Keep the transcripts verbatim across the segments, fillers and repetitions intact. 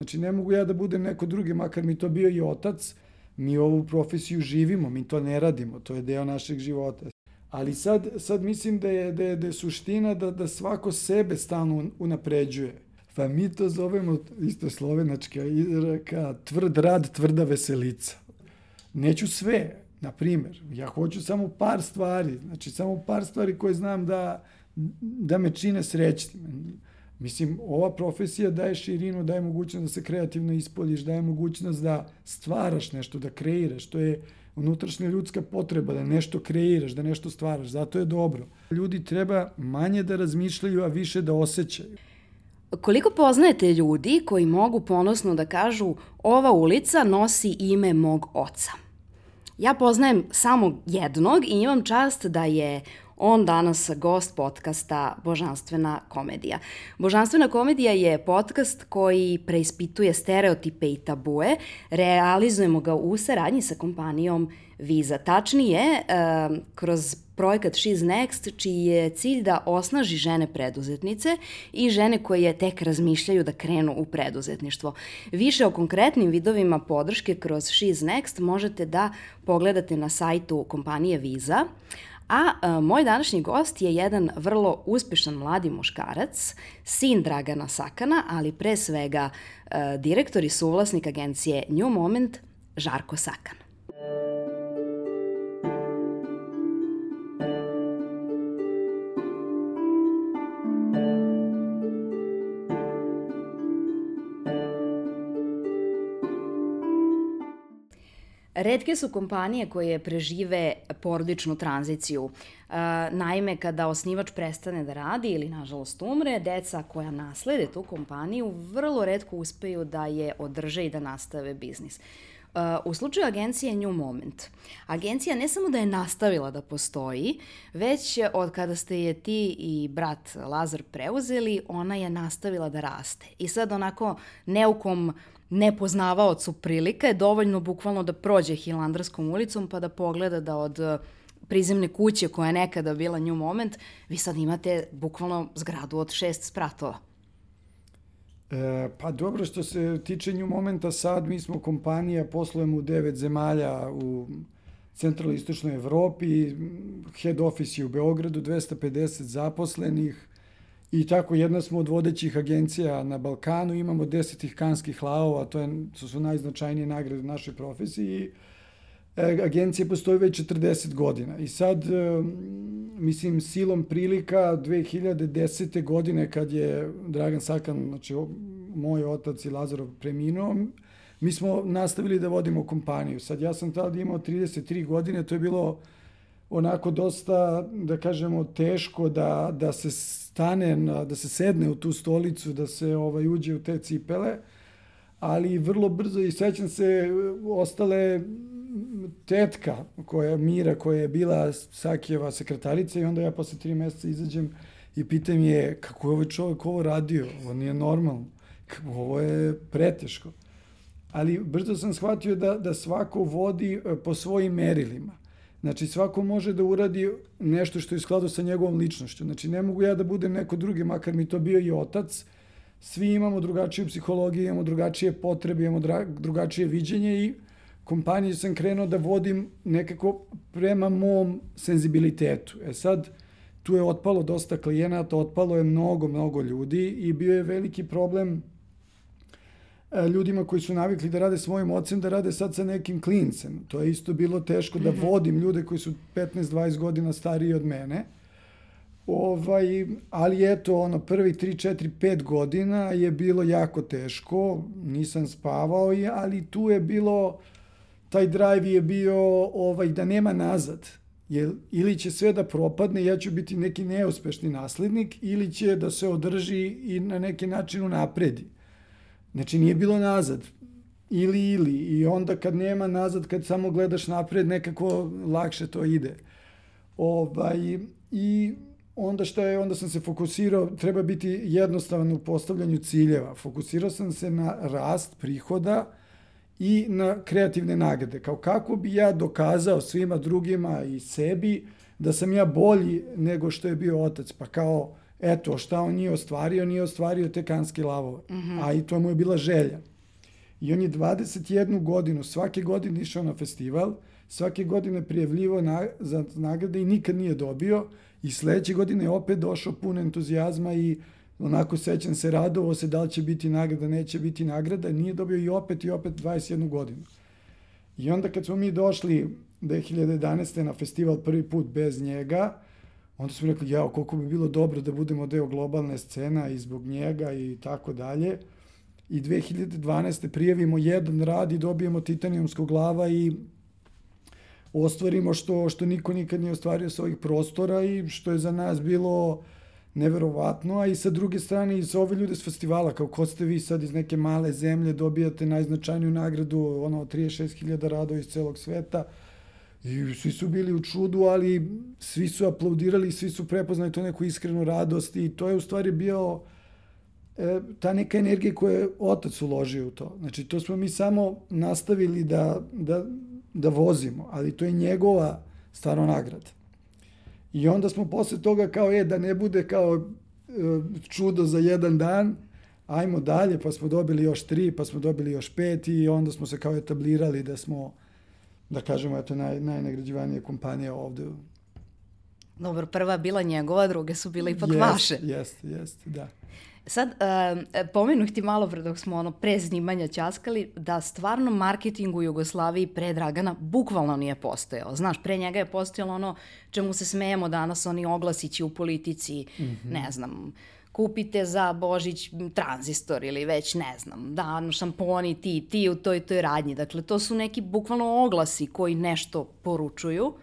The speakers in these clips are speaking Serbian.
Znači, ne mogu ja da budem neko drugi, makar mi to bio i otac, mi ovu profesiju živimo, mi to ne radimo, to je deo našeg života. Ali sad, sad mislim da je, da je, da je suština da, da svako sebe stalno unapređuje. Pa mi to zovemo, isto slovenačka izreka, tvrd rad, tvrda veselica. Neću sve, na primjer, ja hoću samo par stvari, znači samo par stvari koje znam da, da me čine srećnim. Mislim, ova profesija daje širinu, daje mogućnost da se kreativno ispoljiš, daje mogućnost da stvaraš nešto, da kreiraš. To je unutrašnja ljudska potreba, da nešto kreiraš, da nešto stvaraš. Zato je dobro. Ljudi treba manje da razmišljaju, a više da osjećaju. Koliko poznajete ljudi koji mogu ponosno da kažu ova ulica nosi ime mog oca? Ja poznajem samo jednog i imam čast da je on danas gost podcasta Božanstvena komedija. Božanstvena komedija je podcast koji preispituje stereotipe i tabue. Realizujemo ga u saradnji sa kompanijom Visa. Tačnije, kroz projekat She's Next, čiji je cilj da osnaži žene preduzetnice i žene koje tek razmišljaju da krenu u preduzetništvo. Više o konkretnim vidovima podrške kroz She's Next možete da pogledate na sajtu kompanije Visa. A, a moj današnji gost je jedan vrlo uspešan mladi muškarac, sin Dragana Sakana, ali pre svega a, direktor i suvlasnik agencije New Moment, Žarko Sakan. Retke su kompanije koje prežive porodičnu tranziciju. Naime, kada osnivač prestane da radi ili, nažalost, umre, deca koja naslede tu kompaniju vrlo retko uspeju da je održe i da nastave biznis. U slučaju agencije New Moment, agencija ne samo da je nastavila da postoji, već od kada ste je ti i brat Lazar preuzeli, ona je nastavila da raste. I sad onako neukom nepoznavaocu prilika je dovoljno bukvalno da prođe Hilandarskom ulicom pa da pogleda da od prizemne kuće koja je nekada bila New Moment, vi sad imate bukvalno zgradu od šest spratova. E, pa dobro, što se tiče New Momenta, sad mi smo kompanija, poslujemo u devet zemalja u centralnoj istočnoj Evropi, head office je u Beogradu, dvesta pedeset zaposlenih i tako jedna smo od vodećih agencija na Balkanu, imamo deset kanskih lavova, to, je, to su najznačajnije nagrade u našoj profesiji. E, agencija postoji već četrdeset godina i sad, e, mislim, silom prilika dve hiljade desete. godine kad je Dragan Sakan, znači moj otac i Lazarov preminuo, mi smo nastavili da vodimo kompaniju. Sad ja sam tada imao trideset tri godine, to je bilo onako dosta, da kažemo, teško da, da se stane, da se sedne u tu stolicu, da se ovaj, uđe u te cipele, ali vrlo brzo i sećam se ostale tetka koja, Mira, koja je bila Sakijeva sekretarica i onda ja posle tri meseca izađem i pitam je kako je ovaj čovjek ovo radio, ovo nije normalno, ovo je preteško. Ali brzo sam shvatio da, da svako vodi po svojim merilima. Znači, svako može da uradi nešto što je u skladu sa njegovom ličnošću. Znači, ne mogu ja da budem neko drugi, makar mi to bio i otac. Svi imamo drugačiju psihologiju, imamo drugačije potrebe, imamo drugačije viđenje i kompaniju sam krenuo da vodim nekako prema mom senzibilitetu. E sad, tu je otpalo dosta klijenata, otpalo je mnogo, mnogo ljudi i bio je veliki problem ljudima koji su navikli da rade s mojim ocem, da rade sad sa nekim klincem. To je isto bilo teško da vodim ljude koji su petnaest dvadeset godina stariji od mene. Ovaj, ali eto, ono, prvi tri, četiri, pet godina je bilo jako teško, nisam spavao, ali tu je bilo, taj drive je bio ovaj, da nema nazad. Jer ili će sve da propadne, ja ću biti neki neuspešni naslednik, ili će da se održi i na neki način unapredi. Znači, nije bilo nazad. Ili, ili. I onda kad nema nazad, kad samo gledaš napred, nekako lakše to ide. Ovaj, I onda šta je, onda sam se fokusirao, treba biti jednostavan u postavljanju ciljeva. Fokusirao sam se na rast prihoda i na kreativne nagrade. Kao kako bi ja dokazao svima drugima i sebi da sam ja bolji nego što je bio otac. Pa kao, eto, šta on nije ostvario, nije ostvario te kanske lavove. Mm-hmm. A i to mu je bila želja. I on je dvadeset jednu godinu, svake godine išao na festival, svake godine prijavljivo na, za nagrade i nikad nije dobio. I sledeće godine je opet došao pun entuzijazma i onako sećam se, radovao se da li će biti nagrada, neće biti nagrada. Nije dobio i opet i opet dvadeset jednu godinu. I onda kad smo mi došli dve hiljade jedanaeste. na festival prvi put bez njega, onda smo rekli, jao, koliko bi bilo dobro da budemo deo globalne scena i zbog njega i tako dalje. I dve hiljade dvanaeste. prijavimo jedan rad i dobijemo Titanijumsku glava i ostvarimo što, što niko nikad nije ostvario sa ovih prostora i što je za nas bilo neverovatno, a i sa druge strane i sa ove ljude s festivala, kao ko ste vi sad iz neke male zemlje, dobijate najznačajniju nagradu, ono, trideset šest hiljada radova iz celog sveta, i svi su bili u čudu, ali svi su aplaudirali, svi su prepoznali to neku iskrenu radost i to je u stvari bio e, ta neka energija koju je otac uložio u to. Znači, to smo mi samo nastavili da, da, da vozimo, ali to je njegova stvarno nagrada. I onda smo posle toga kao, e, da ne bude kao e, čudo za jedan dan, ajmo dalje, pa smo dobili još tri, pa smo dobili još pet i onda smo se kao etablirali da smo, da kažemo, eto, naj, najnagrađivanija kompanija ovde. Dobro, prva je bila njegova, druge su bile ipak jest, vaše. Jeste, jeste, da. Sad, uh, pomenuh ti malo pre dok smo ono pre snimanja ćaskali da stvarno marketing u Jugoslaviji pre Dragana bukvalno nije postojao. Znaš, pre njega je postojalo ono čemu se smejemo danas, oni oglasići u politici, mm-hmm. ne znam, kupite za Božić tranzistor ili već, ne znam, da, šamponi, ti, ti u toj, toj radnji. Dakle, to su neki bukvalno oglasi koji nešto poručuju,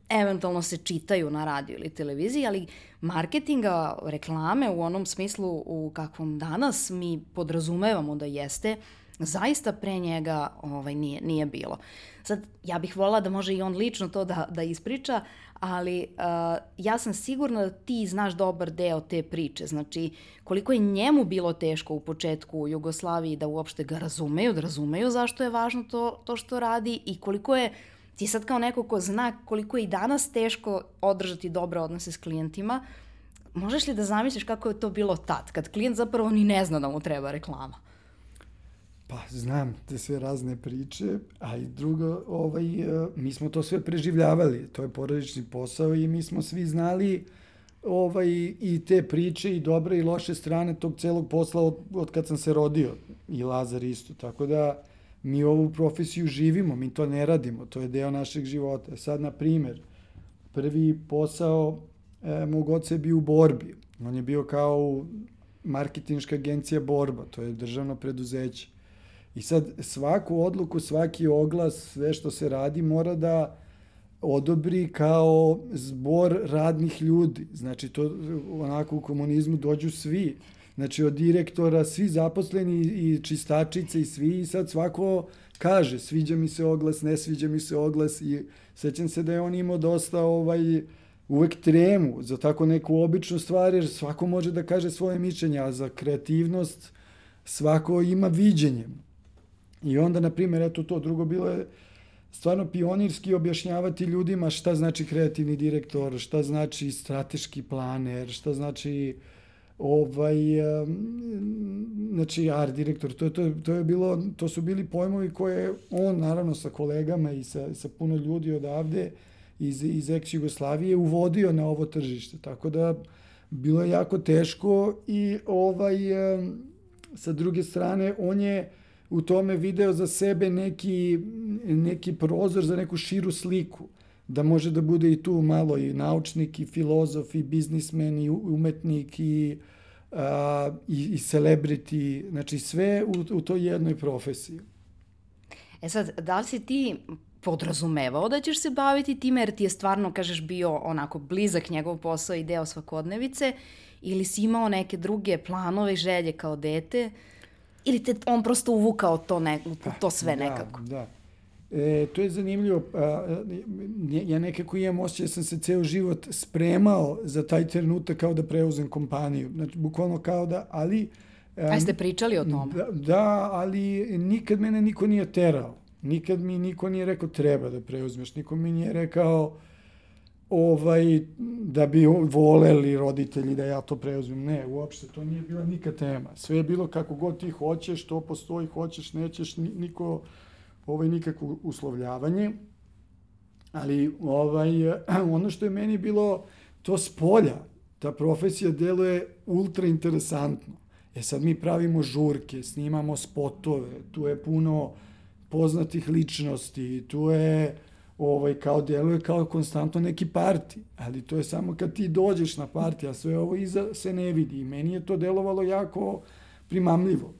eventualno se čitaju na radiju ili televiziji, ali marketinga, reklame u onom smislu u kakvom danas mi podrazumevamo da jeste, zaista pre njega ovaj, nije, nije bilo. Sad, ja bih volila da može i on lično to da, da ispriča, ali uh, ja sam sigurna da ti znaš dobar deo te priče. Znači, koliko je njemu bilo teško u početku u Jugoslaviji da uopšte ga razumeju, da razumeju zašto je važno to, to što radi i koliko je ti sad kao neko ko zna koliko je i danas teško održati dobre odnose s klijentima, možeš li da zamisliš kako je to bilo tad, kad klijent zapravo ni ne zna da mu treba reklama? Pa, znam te sve razne priče, a i drugo, ovaj, mi smo to sve preživljavali, to je porodični posao i mi smo svi znali ovaj, i te priče i dobre i loše strane tog celog posla od, od kad sam se rodio, i Lazar isto, tako da mi ovu profesiju živimo, mi to ne radimo, to je deo našeg života. Sad, na primer, prvi posao e, mog oca je bio u Borbi. On je bio kao marketinška agencija Borba, to je državno preduzeće. I sad svaku odluku, svaki oglas, sve što se radi mora da odobri kao zbor radnih ljudi. Znači, to onako u komunizmu dođu svi. Znači, od direktora, svi zaposleni i čistačice i svi, i sad svako kaže, sviđa mi se oglas, ne sviđa mi se oglas, i sećam se da je on imao dosta ovaj, uvek tremu za tako neku običnu stvar, jer svako može da kaže svoje mišljenje, a za kreativnost svako ima viđenje. I onda, na primjer, eto to, drugo bilo je stvarno pionirski objašnjavati ljudima šta znači kreativni direktor, šta znači strateški planer, šta znači ovaj, znači art direktor, to, to, to je bilo, to su bili pojmovi koje on, naravno, sa kolegama i sa, sa puno ljudi odavde iz, iz ex-Jugoslavije uvodio na ovo tržište, tako da bilo je jako teško i ovaj, sa druge strane, on je u tome video za sebe neki, neki prozor za neku širu sliku, da može da bude i tu malo i naučnik, i filozof, i biznismen, i umetnik, i, a, i, i celebrity, znači sve u, u toj jednoj profesiji. E sad, da li si ti podrazumevao da ćeš se baviti time, jer ti je stvarno, kažeš, bio onako blizak njegov posao i deo svakodnevice, ili si imao neke druge planove i želje kao dete, ili te on prosto uvukao to, ne, to sve nekako? Da, da. E, to je zanimljivo. A, ja nekako imam osjećaj da sam se ceo život spremao za taj trenutak kao da preuzem kompaniju. Znači, bukvalno kao da, ali... A ste pričali o tome? Da, da, ali nikad mene niko nije terao. Nikad mi niko nije rekao treba da preuzmeš. Niko mi nije rekao ovaj, da bi voleli roditelji da ja to preuzmem. Ne, uopšte, to nije bila nikad tema. Sve je bilo kako god ti hoćeš, to postoji, hoćeš, nećeš, niko, ovaj, nikakvo uslovljavanje. Ali ovaj, ono što je meni bilo to s polja, ta profesija deluje ultra interesantno. E sad mi pravimo žurke, snimamo spotove, tu je puno poznatih ličnosti, tu je ovaj, kao deluje kao konstantno neki parti, ali to je samo kad ti dođeš na parti, a sve ovo iza se ne vidi. I meni je to delovalo jako primamljivo.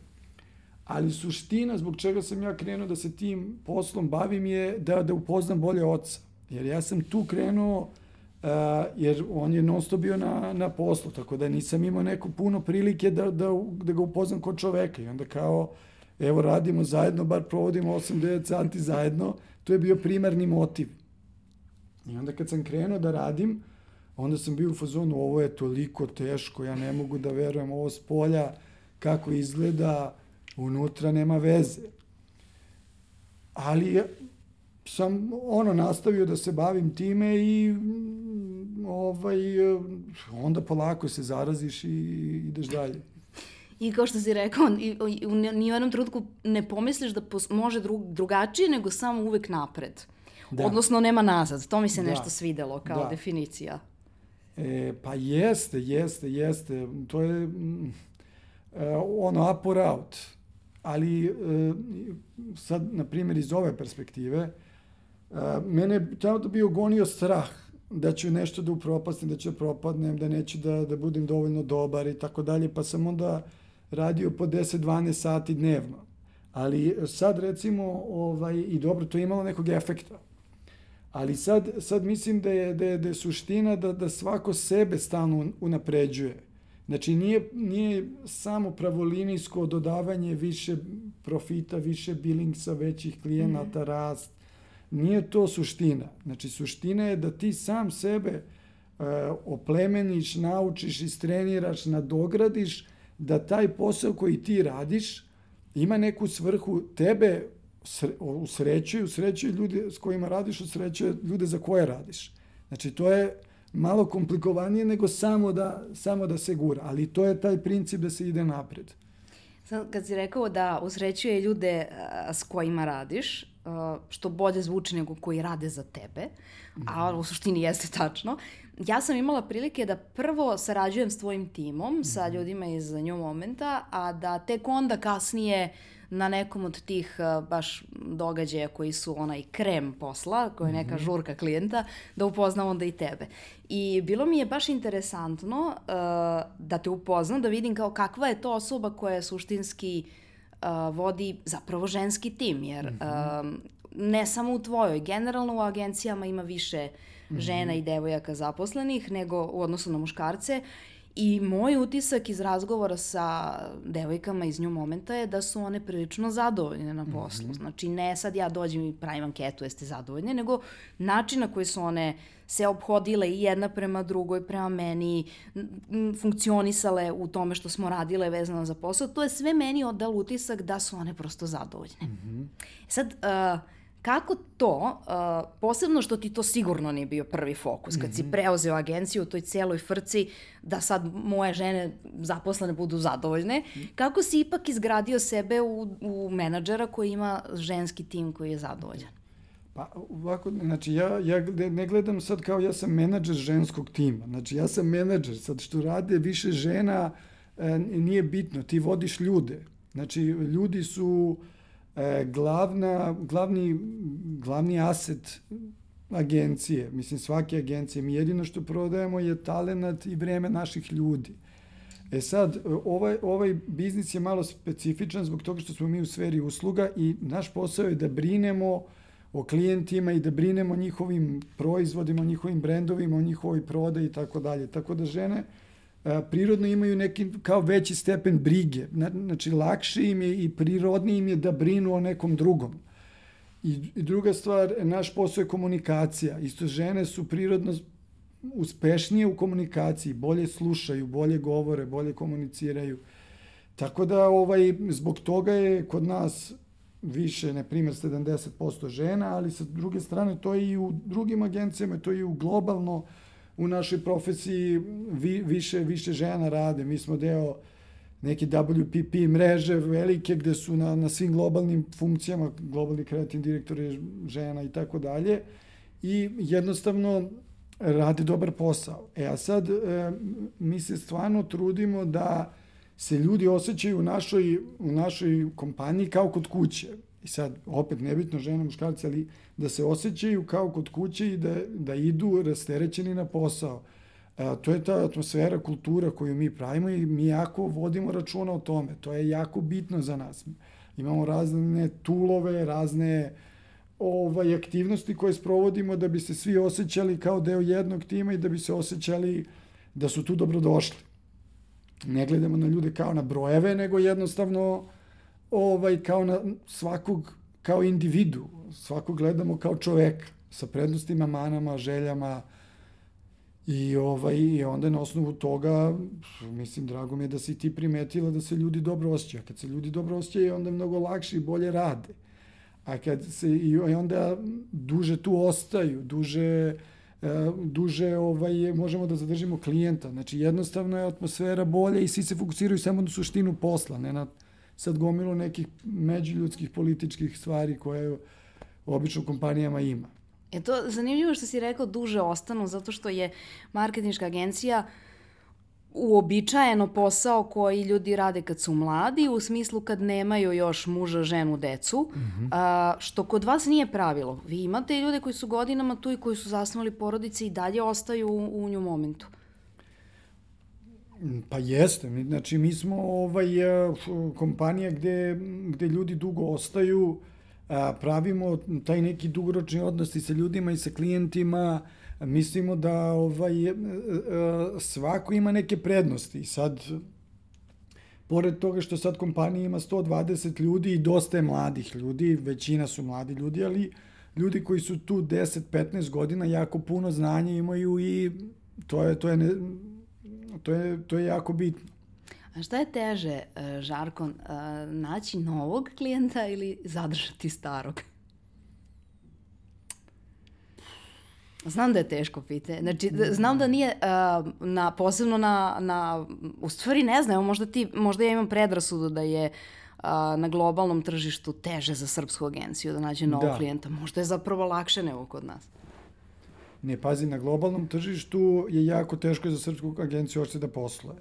Ali suština zbog čega sam ja krenuo da se tim poslom bavim je da, da upoznam bolje oca. Jer ja sam tu krenuo, uh, jer on je non stop bio na, na poslu, tako da nisam imao neko puno prilike da, da, da ga upoznam kod čoveka. I onda kao, evo radimo zajedno, bar provodimo osam do devet sati zajedno, to je bio primarni motiv. I onda kad sam krenuo da radim, onda sam bio u fazonu, ovo je toliko teško, ja ne mogu da verujem, ovo s polja, kako izgleda, unutra nema veze. Ali sam ono nastavio da se bavim time i ovaj, onda polako se zaraziš i ideš dalje. I kao što si rekao, u nijednom trenutku ne pomisliš da može drugačije, nego samo uvek napred. Da. Odnosno nema nazad. To mi se da. nešto svidelo kao da. definicija. E, pa jeste, jeste, jeste. To je mm, ono up or out. Ali sad, na primjer, iz ove perspektive, mene tada bio gonio strah da ću nešto da upropastim, da ću da propadnem, da neću da, da budem dovoljno dobar i tako dalje, pa sam onda radio po deset do dvanaest sati dnevno. Ali sad recimo, ovaj, i dobro, to je imalo nekog efekta. Ali sad, sad mislim da je, da je, da je suština da, da svako sebe stalno unapređuje. Znači, nije, nije samo pravolinijsko dodavanje više profita, više billingsa, većih klijenata, mm-hmm. rast. Nije to suština. Znači, suština je da ti sam sebe uh, oplemeniš, naučiš, istreniraš, nadogradiš, da taj posao koji ti radiš ima neku svrhu, tebe usrećuje, usrećuje ljude s kojima radiš, usrećuje ljude za koje radiš. Znači, to je malo komplikovanije nego samo da, samo da se gura, ali to je taj princip da se ide napred. Sad, kad si rekao da usrećuje ljude a, s kojima radiš, a, što bolje zvuči nego koji rade za tebe, a u suštini jeste tačno, ja sam imala prilike da prvo sarađujem s tvojim timom, sa ljudima iz New Momenta, a da tek onda kasnije na nekom od tih uh, baš događaja koji su onaj krem posla, koja je neka mm-hmm. žurka klijenta, da upoznam onda i tebe. I bilo mi je baš interesantno uh, da te upoznam, da vidim kao kakva je to osoba koja suštinski uh, vodi zapravo ženski tim, jer mm-hmm. uh, ne samo u tvojoj, generalno u agencijama ima više mm-hmm. žena i devojaka zaposlenih nego u odnosu na muškarce. I moj utisak iz razgovora sa devojkama iz New Momenta je da su one prilično zadovoljne na poslu. Mm-hmm. Znači, ne sad ja dođem i pravim anketu jeste zadovoljne, nego način na koji su one se ophodile i jedna prema drugoj, prema meni, funkcionisale u tome što smo radile vezano za posao, to je sve meni odalo utisak da su one prosto zadovoljne. Mm-hmm. Sad, uh, kako to, uh, posebno što ti to sigurno nije bio prvi fokus, kad mm-hmm. si preuzeo agenciju u toj cijeloj frci da sad moje žene zaposlene budu zadovoljne, kako si ipak izgradio sebe u, u menadžera koji ima ženski tim koji je zadovoljan? Pa ovako, znači ja, ja ne gledam sad kao ja sam menadžer ženskog tima, znači ja sam menadžer, sad što rade više žena e, nije bitno, ti vodiš ljude, znači ljudi su e, glavna, glavni, glavni aset agencije, mislim svake agencije, mi jedino što prodajemo je talenat i vreme naših ljudi. E sad, ovaj, ovaj biznis je malo specifičan zbog toga što smo mi u sferi usluga i naš posao je da brinemo o klijentima i da brinemo o njihovim proizvodima, o njihovim brendovima, o njihovoj prodaji i tako dalje. Tako da žene a, prirodno imaju neki kao veći stepen brige. Znači, lakše im je i prirodnije im je da brinu o nekom drugom. I, i druga stvar, naš posao je komunikacija. Isto žene su prirodno uspešnije u komunikaciji, bolje slušaju, bolje govore, bolje komuniciraju. Tako da ovaj, zbog toga je kod nas više, na primjer, sedamdeset posto žena, ali sa druge strane to je i u drugim agencijama, to je i u globalno, u našoj profesiji vi, više, više žena rade. Mi smo deo neke W P P mreže velike gde su na, na svim globalnim funkcijama, globalni kreativni direktor je žena i tako dalje. I jednostavno rade dobar posao. E a sad e, mi se stvarno trudimo da se ljudi osjećaju u našoj, u našoj kompaniji kao kod kuće. I sad, opet, nebitno žene, muškarci, ali da se osjećaju kao kod kuće i da, da idu rasterećeni na posao. E, to je ta atmosfera, kultura koju mi pravimo i mi jako vodimo računa o tome. To je jako bitno za nas. Imamo razne tulove, razne ovaj, aktivnosti koje sprovodimo da bi se svi osjećali kao deo jednog tima i da bi se osjećali da su tu dobrodošli. Ne gledamo na ljude kao na brojeve, nego jednostavno ovaj, kao na svakog, kao individu. Svakog gledamo kao čoveka, sa prednostima, manama, željama. I, ovaj, i onda na osnovu toga, mislim, drago mi je da si ti primetila da se ljudi dobro osjećaju. Kad se ljudi dobro osjećaju, onda je mnogo lakše i bolje rade. A kad se, i onda duže tu ostaju, duže, duže ovaj, možemo da zadržimo klijenta. Znači, jednostavno je atmosfera bolja i svi se fokusiraju samo na suštinu posla, ne na sad gomilu nekih međuljudskih političkih stvari koje obično kompanijama ima. Je to zanimljivo što si rekao duže ostanu, zato što je marketinška agencija uobičajeno posao koji ljudi rade kad su mladi, u smislu kad nemaju još muža, ženu, decu, mm-hmm. a, što kod vas nije pravilo. Vi imate ljude koji su godinama tu i koji su zasnovali porodice i dalje ostaju u, u nju momentu. Pa jeste. Znači, mi smo ovaj, kompanija gde, gde ljudi dugo ostaju, a, pravimo taj neki dugoročni odnos i sa ljudima i sa klijentima. Mislimo da ovaj, svako ima neke prednosti. Sad, pored toga što sad kompanija ima sto dvadeset ljudi i dosta je mladih ljudi, većina su mladi ljudi, ali ljudi koji su tu deset do petnaest godina jako puno znanja imaju i to je, to je, ne, to je, to je jako bitno. A šta je teže, Žarko, naći novog klijenta ili zadržati starog? Znam da je teško pitanje. Znači, znam da nije uh, na, posebno na, na, u stvari ne znam, možda, ti, možda ja imam predrasudu da je uh, na globalnom tržištu teže za srpsku agenciju da nađe novog da. klijenta. Možda je zapravo lakše nego kod nas. Ne, pazi, na globalnom tržištu je jako teško za srpsku agenciju uopšte da posluje.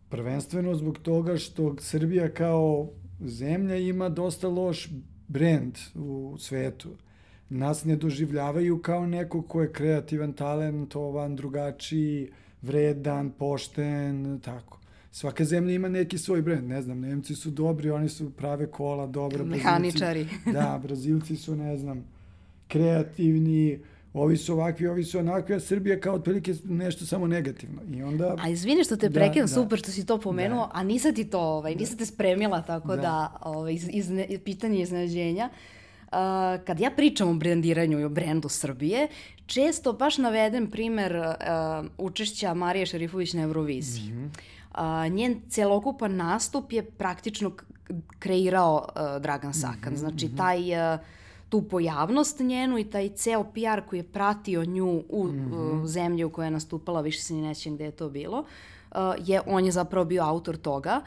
Prvenstveno zbog toga što Srbija kao zemlja ima dosta loš brend u svetu. Nas ne doživljavaju kao neko ko je kreativan, talentovan, drugačiji, vredan, pošten, tako. Svaka zemlja ima neki svoj brend, ne znam, Nemci su dobri, oni su prave kola, dobro. Mehaničari. Da, Brazilci su, ne znam, kreativni, ovi su ovakvi, ovi su onakvi, a Srbija kao otprilike nešto samo negativno. I onda... A izvini što te prekidam, da, super što si to pomenuo, da. A nisam ti to, ovaj, nisam te spremila, tako da, da ovaj, iz, iz, pitanje iznenađenja. Uh, kad ja pričam o brendiranju i o brendu Srbije, često baš navedem primer uh, učešća Marije Šerifović na Euroviziji. Mm-hmm. Uh, njen celokupan nastup je praktično kreirao uh, Dragan Sakan. Mm-hmm. Znači, taj, uh, tu pojavnost njenu i taj ceo P R koji je pratio nju u, mm-hmm. u zemlji u kojoj je nastupala, više se ni nećem gde je to bilo, uh, je, on je zapravo bio autor toga.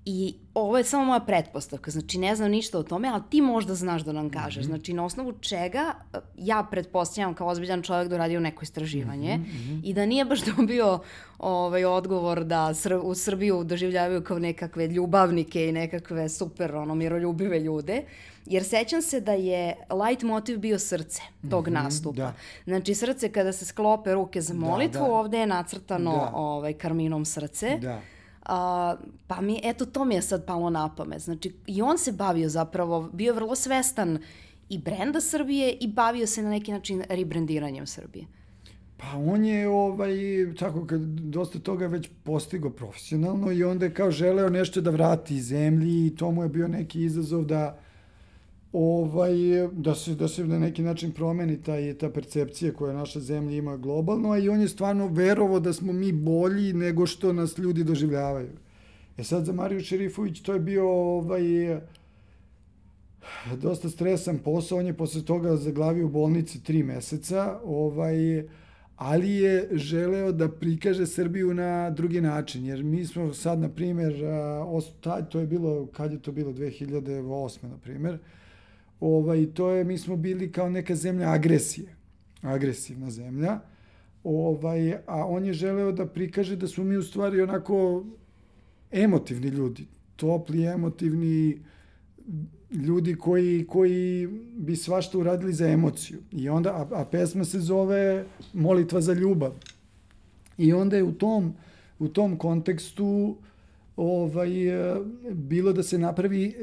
I ovo je samo moja pretpostavka, znači ne znam ništa o tome, ali ti možda znaš da nam kažeš. Mm-hmm. Znači na osnovu čega ja pretpostavljam kao ozbiljan čovjek da uradio neko istraživanje mm-hmm. i da nije baš dobio ovaj, odgovor da Sr- u Srbiju doživljavaju kao nekakve ljubavnike i nekakve super ono, miroljubive ljude. Jer sećam se da je light motiv bio srce tog mm-hmm, nastupa. Da. Znači srce kada se sklope ruke za molitvu, da, da. Ovde je nacrtano da. ovaj, karminom srce. Da. Uh, pa mi, eto, to mi je sad palo na pamet. Znači, i on se bavio zapravo, bio vrlo svestan i brenda Srbije i bavio se na neki način rebrandiranjem Srbije. Pa on je, ovaj, tako, kad dosta toga već postigo profesionalno i onda je kao želeo nešto da vrati zemlji i to mu je bio neki izazov da ovaj, da se, da se na neki način promeni taj, ta percepcija koja naša zemlja ima globalno, a i on je stvarno verovao da smo mi bolji nego što nas ljudi doživljavaju. E sad za Mariju Šerifović to je bio ovaj, dosta stresan posao, on je posle toga zaglavio u bolnici tri meseca, ovaj, ali je želeo da prikaže Srbiju na drugi način, jer mi smo sad, na primjer, to je bilo, kad je to bilo, dve hiljade osme, na primjer, ovaj, to je, mi smo bili kao neka zemlja agresije, agresivna zemlja, ovaj, a on je želeo da prikaže da smo mi u stvari onako emotivni ljudi, topli, emotivni ljudi koji, koji bi svašta uradili za emociju. I onda, a, a pesma se zove Molitva za ljubav. I onda je u tom, u tom kontekstu ovaj, bilo da se napravi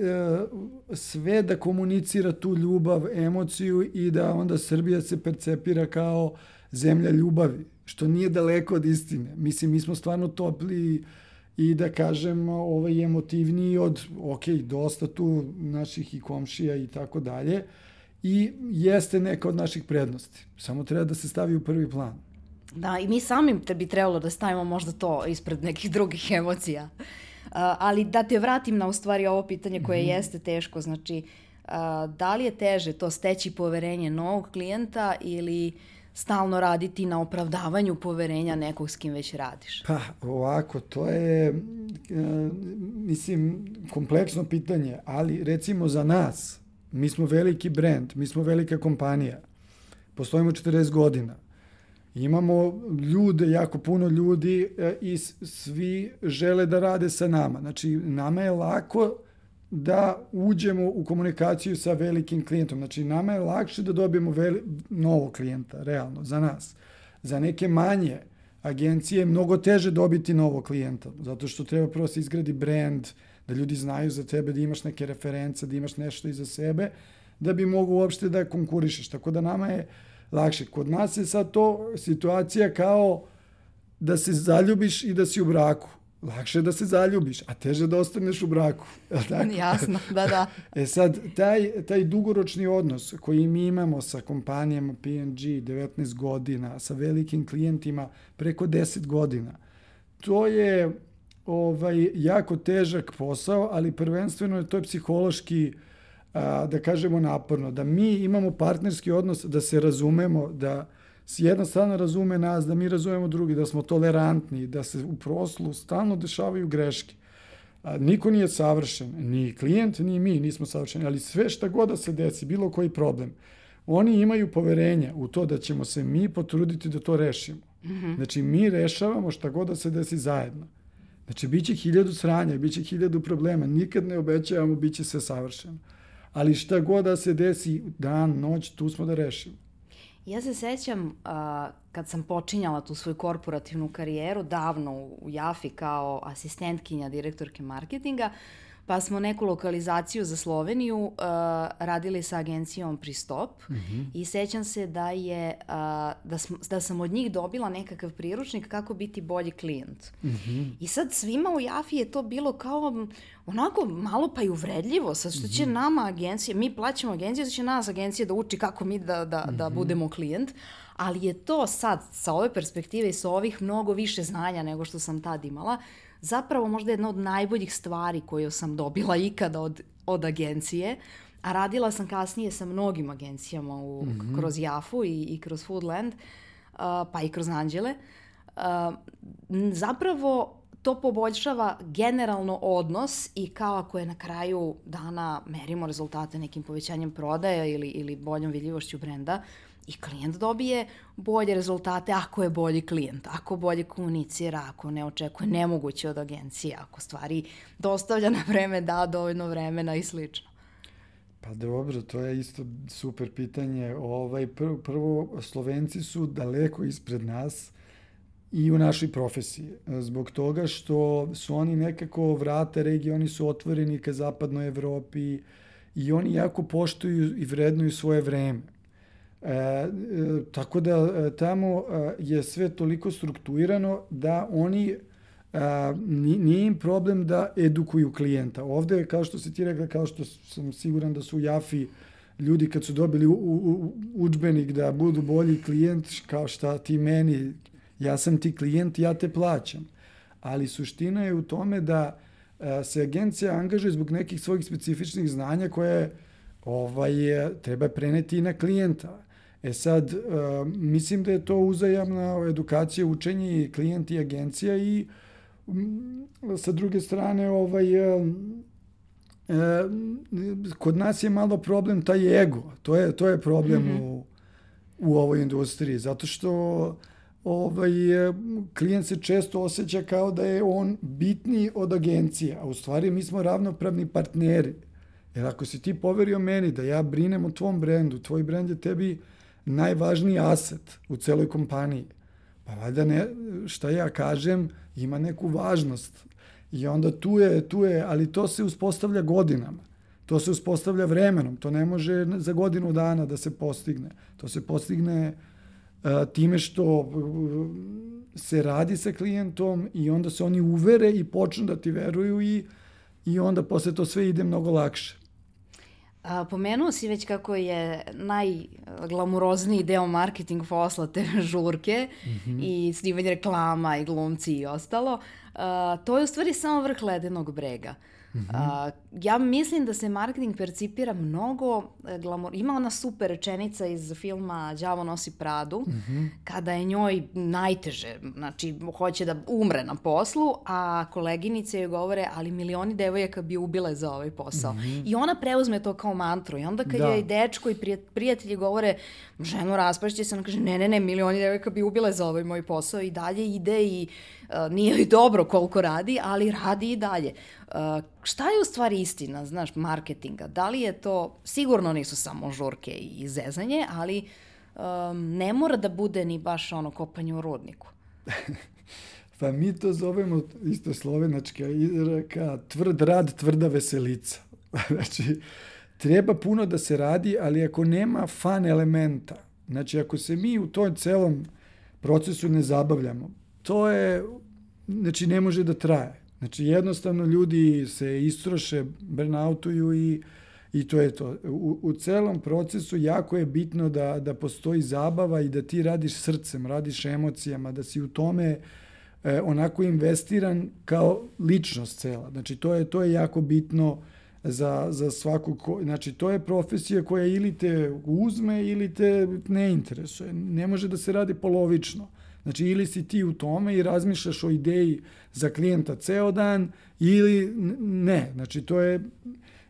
sve da komunicira tu ljubav, emociju i da onda Srbija se percepira kao zemlja ljubavi, što nije daleko od istine. Mislim, mi smo stvarno topli i da kažem ovaj, emotivniji od, ok, dosta tu naših i komšija i tako dalje, i jeste neka od naših prednosti. Samo treba da se stavi u prvi plan. Da, i mi samim bi trebalo da stavimo možda to ispred nekih drugih emocija. Uh, ali da te vratim na u stvari ovo pitanje koje mm-hmm. jeste teško, znači uh, da li je teže to steći poverenje novog klijenta ili stalno raditi na opravdavanju poverenja nekog s kim već radiš? Pa ovako, to je, mislim, kompleksno pitanje, ali recimo za nas, mi smo veliki brend, mi smo velika kompanija, postojimo četrdeset godina, imamo ljude, jako puno ljudi i svi žele da rade sa nama. Znači, nama je lako da uđemo u komunikaciju sa velikim klijentom. Znači, nama je lakše da dobijemo veli, novog klijenta, realno, za nas. Za neke manje agencije je mnogo teže dobiti novog klijenta, zato što treba prvo se izgradi brand, da ljudi znaju za tebe, da imaš neke reference, da imaš nešto iza sebe, da bi mogu uopšte da konkurišeš. Tako da nama je lakše. Kod nas je sad to situacija kao da se zaljubiš i da si u braku. Lakše je da se zaljubiš, a teže da ostaneš u braku. Tako? Jasno, da, da. E sad, taj, taj dugoročni odnos koji mi imamo sa kompanijama P and G devetnaest godina, sa velikim klijentima preko deset godina, to je ovaj, jako težak posao, ali prvenstveno je to je psihološki, a, da kažemo, naporno. Da mi imamo partnerski odnos, da se razumemo, da jedna strana razume nas, da mi razumemo drugi, da smo tolerantni, da se u proslu stalno dešavaju greške. A, niko nije savršen, ni klijent, ni mi nismo savršeni, ali sve šta god da se desi, bilo koji problem, oni imaju poverenja u to da ćemo se mi potruditi da to rešimo. Mm-hmm. Znači, mi rešavamo šta god da se desi zajedno. Znači, bit će hiljadu sranja, bit će hiljadu problema, nikad ne obećavamo, bit će sve savršeno. Ali šta god da se desi, dan, noć, tu smo da rešimo. Ja se sećam uh, kad sam počinjala tu svoju korporativnu karijeru davno u Jafi kao asistentkinja direktorke marketinga, pa smo neku lokalizaciju za Sloveniju uh, radili sa agencijom Pristop mm-hmm. i sećam se da je uh, da, sm, da sam od njih dobila nekakav priručnik kako biti bolji klijent. Mm-hmm. I sad svima u Jafi je to bilo kao onako malo pa i uvredljivo, sad što će mm-hmm. nama agencije, mi plaćamo agenciju, da će nas agencija da uči kako mi da, da, mm-hmm. da budemo klijent, ali je to sad sa ove perspektive i sa ovih mnogo više znanja nego što sam tad imala, zapravo možda jedna od najboljih stvari koju sam dobila ikada od, od agencije, a radila sam kasnije sa mnogim agencijama u, mm-hmm. kroz Jafu i, i kroz Foodland, uh, pa i kroz Anđele. Uh, zapravo to poboljšava generalno odnos i kao ako je na kraju dana merimo rezultate nekim povećanjem prodaja ili, ili boljom vidljivošću brenda, i klijent dobije bolje rezultate ako je bolji klijent, ako bolje komunicira, ako ne očekuje nemoguće od agencije, ako stvari dostavlja na vreme, da dovoljno vremena i slično. Pa dobro, to je isto super pitanje. Ovaj, prvo, prvo, Slovenci su daleko ispred nas i u našoj profesiji. Zbog toga što su oni nekako vrata regije, oni su otvoreni ka zapadnoj Evropi i oni jako poštuju i vrednuju svoje vreme. E, e, tako da e, tamo e, je sve toliko strukturirano da oni a, nije im problem da edukuju klijenta. Ovde, kao što si ti rekla, kao što sam siguran da su u Jafi ljudi kad su dobili u, u, udžbenik da budu bolji klijent, kao šta ti meni, ja sam ti klijent, ja te plaćam. Ali suština je u tome da a, se agencija angažuje zbog nekih svojih specifičnih znanja koje ovaj, treba preneti i na klijenta. E sad, uh, mislim da je to uzajamna edukacija, učenje i klijent i agencija i um, sa druge strane, ovaj, uh, uh, kod nas je malo problem taj ego. To je, to je problem mm-hmm. u, u ovoj industriji, zato što ovaj, klijent se često osjeća kao da je on bitniji od agencije, a u stvari mi smo ravnopravni partneri. Jer ako si ti poverio meni da ja brinem o tvom brendu, tvoj brend je tebi najvažniji aset u celoj kompaniji, pa valjda ne, šta ja kažem ima neku važnost. I onda tu je, tu je, ali to se uspostavlja godinama. To se uspostavlja vremenom. To ne može za godinu dana da se postigne. To se postigne uh, time što uh, se radi sa klijentom i onda se oni uvere i počnu da ti veruju i, i onda posle to sve ide mnogo lakše. A, pomenuo si već kako je najglamurozniji deo marketing posla te žurke mm-hmm. i snimanje reklama i glumci i ostalo. A, to je u stvari samo vrh ledenog brega. Mm-hmm. A, ja mislim da se marketing percipira mnogo glamor... Ima ona super rečenica iz filma Đavo nosi Pradu, mm-hmm. kada je njoj najteže, znači hoće da umre na poslu, a koleginice joj govore, ali milioni devojaka bi ubile za ovaj posao. Mm-hmm. I ona preuzme to kao mantru. I onda kad da. je dečko i prijatelji govore, ženo raspašće se, ona kaže, ne, ne, ne, milioni devojaka bi ubile za ovaj moj posao i dalje ide i uh, nije joj dobro koliko radi, ali radi i dalje. Uh, šta je u stvari istina, znaš, marketinga? Da li je to, sigurno nisu samo žurke i zezanje, ali um, ne mora da bude ni baš ono kopanje u rudniku. Pa mi to zovemo isto slovenačka izreka, tvrd rad, tvrda veselica. Znači, treba puno da se radi, ali ako nema fan elementa, znači ako se mi u tom celom procesu ne zabavljamo, to je, znači ne može da traje. Znači, jednostavno ljudi se istroše, burnoutuju i, i to je to. U, u celom procesu jako je bitno da, da postoji zabava i da ti radiš srcem, radiš emocijama, da si u tome e, onako investiran kao ličnost cela. Znači, to je, to je jako bitno za, za svaku... Ko, znači, to je profesija koja ili te uzme ili te ne interesuje. Ne može da se radi polovično. Znači, ili si ti u tome i razmišljaš o ideji za klijenta ceo dan, ili ne. Znači, to je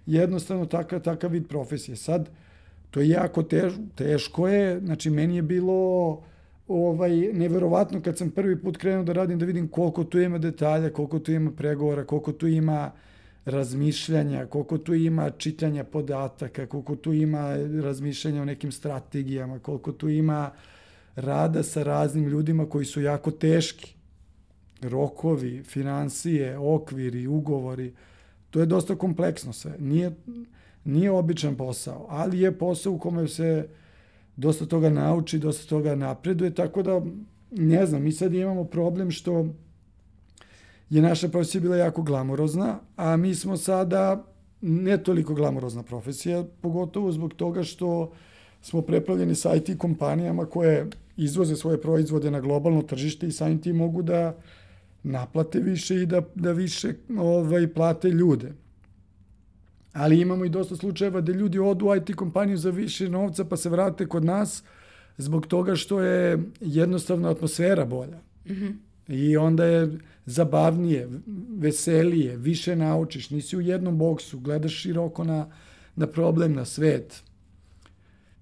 jednostavno takav, takav vid profesije. Sad, to je jako tež, teško je. Znači, meni je bilo ovaj, neverovatno kad sam prvi put krenuo da radim, da vidim koliko tu ima detalja, koliko tu ima pregovora, koliko tu ima razmišljanja, koliko tu ima čitanja podataka, koliko tu ima razmišljanja o nekim strategijama, koliko tu ima rada sa raznim ljudima koji su jako teški. Rokovi, finansije, okviri, ugovori. To je dosta kompleksno sve. Nije, nije običan posao, ali je posao u kome se dosta toga nauči, dosta toga napreduje, tako da, ne znam, mi sad imamo problem što je naša profesija bila jako glamurozna, a mi smo sada ne toliko glamurozna profesija, pogotovo zbog toga što smo preplavljeni sa I T kompanijama koje izvoze svoje proizvode na globalno tržište i samim tim mogu da naplate više i da, da više ovaj, plate ljude. Ali imamo i dosta slučajeva da ljudi odu u I T kompaniju za više novca pa se vrate kod nas zbog toga što je jednostavno atmosfera bolja. Mm-hmm. I onda je zabavnije, veselije, više naučiš, nisi u jednom boksu, gledaš široko na, na problem, na svet.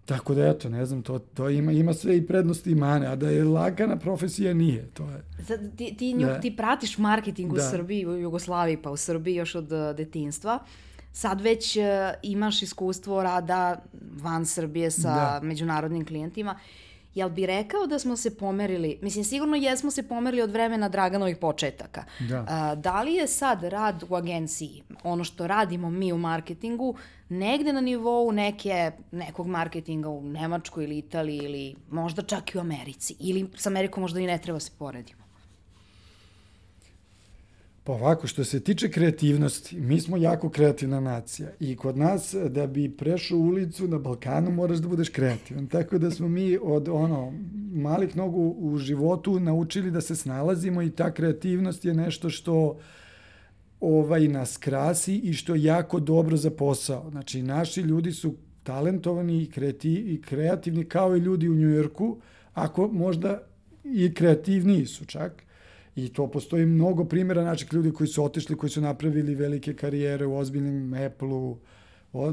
Tako da, eto, ne znam, to, to ima, ima sve i prednosti i mane, a da je lagana profesija nije. To je. Sad, ti, ti, nju, ti pratiš marketing u da. Srbiji, u Jugoslaviji, pa u Srbiji još od uh, detinjstva. Sad već uh, imaš iskustvo rada van Srbije sa da. međunarodnim klijentima. Jel bi rekao da smo se pomerili, mislim, sigurno jesmo se pomerili od vremena Draganovih početaka. Da. A, da li je sad rad u agenciji, ono što radimo mi u marketingu, negde na nivou neke, nekog marketinga u Nemačkoj ili Italiji ili možda čak i u Americi? Ili s Amerikom možda i ne treba se poredimo? Pa ovako, što se tiče kreativnosti, mi smo jako kreativna nacija i kod nas da bi prešao ulicu na Balkanu moraš da budeš kreativan. Tako da smo mi od ono malih nogu u životu naučili da se snalazimo i ta kreativnost je nešto što ovaj, nas krasi i što je jako dobro za posao. Znači, naši ljudi su talentovani i, kreati, i kreativni kao i ljudi u Njujorku, ako možda i kreativniji su čak. I to postoji mnogo primjera naših ljudi koji su otišli, koji su napravili velike karijere u ozbiljnim Apple-u,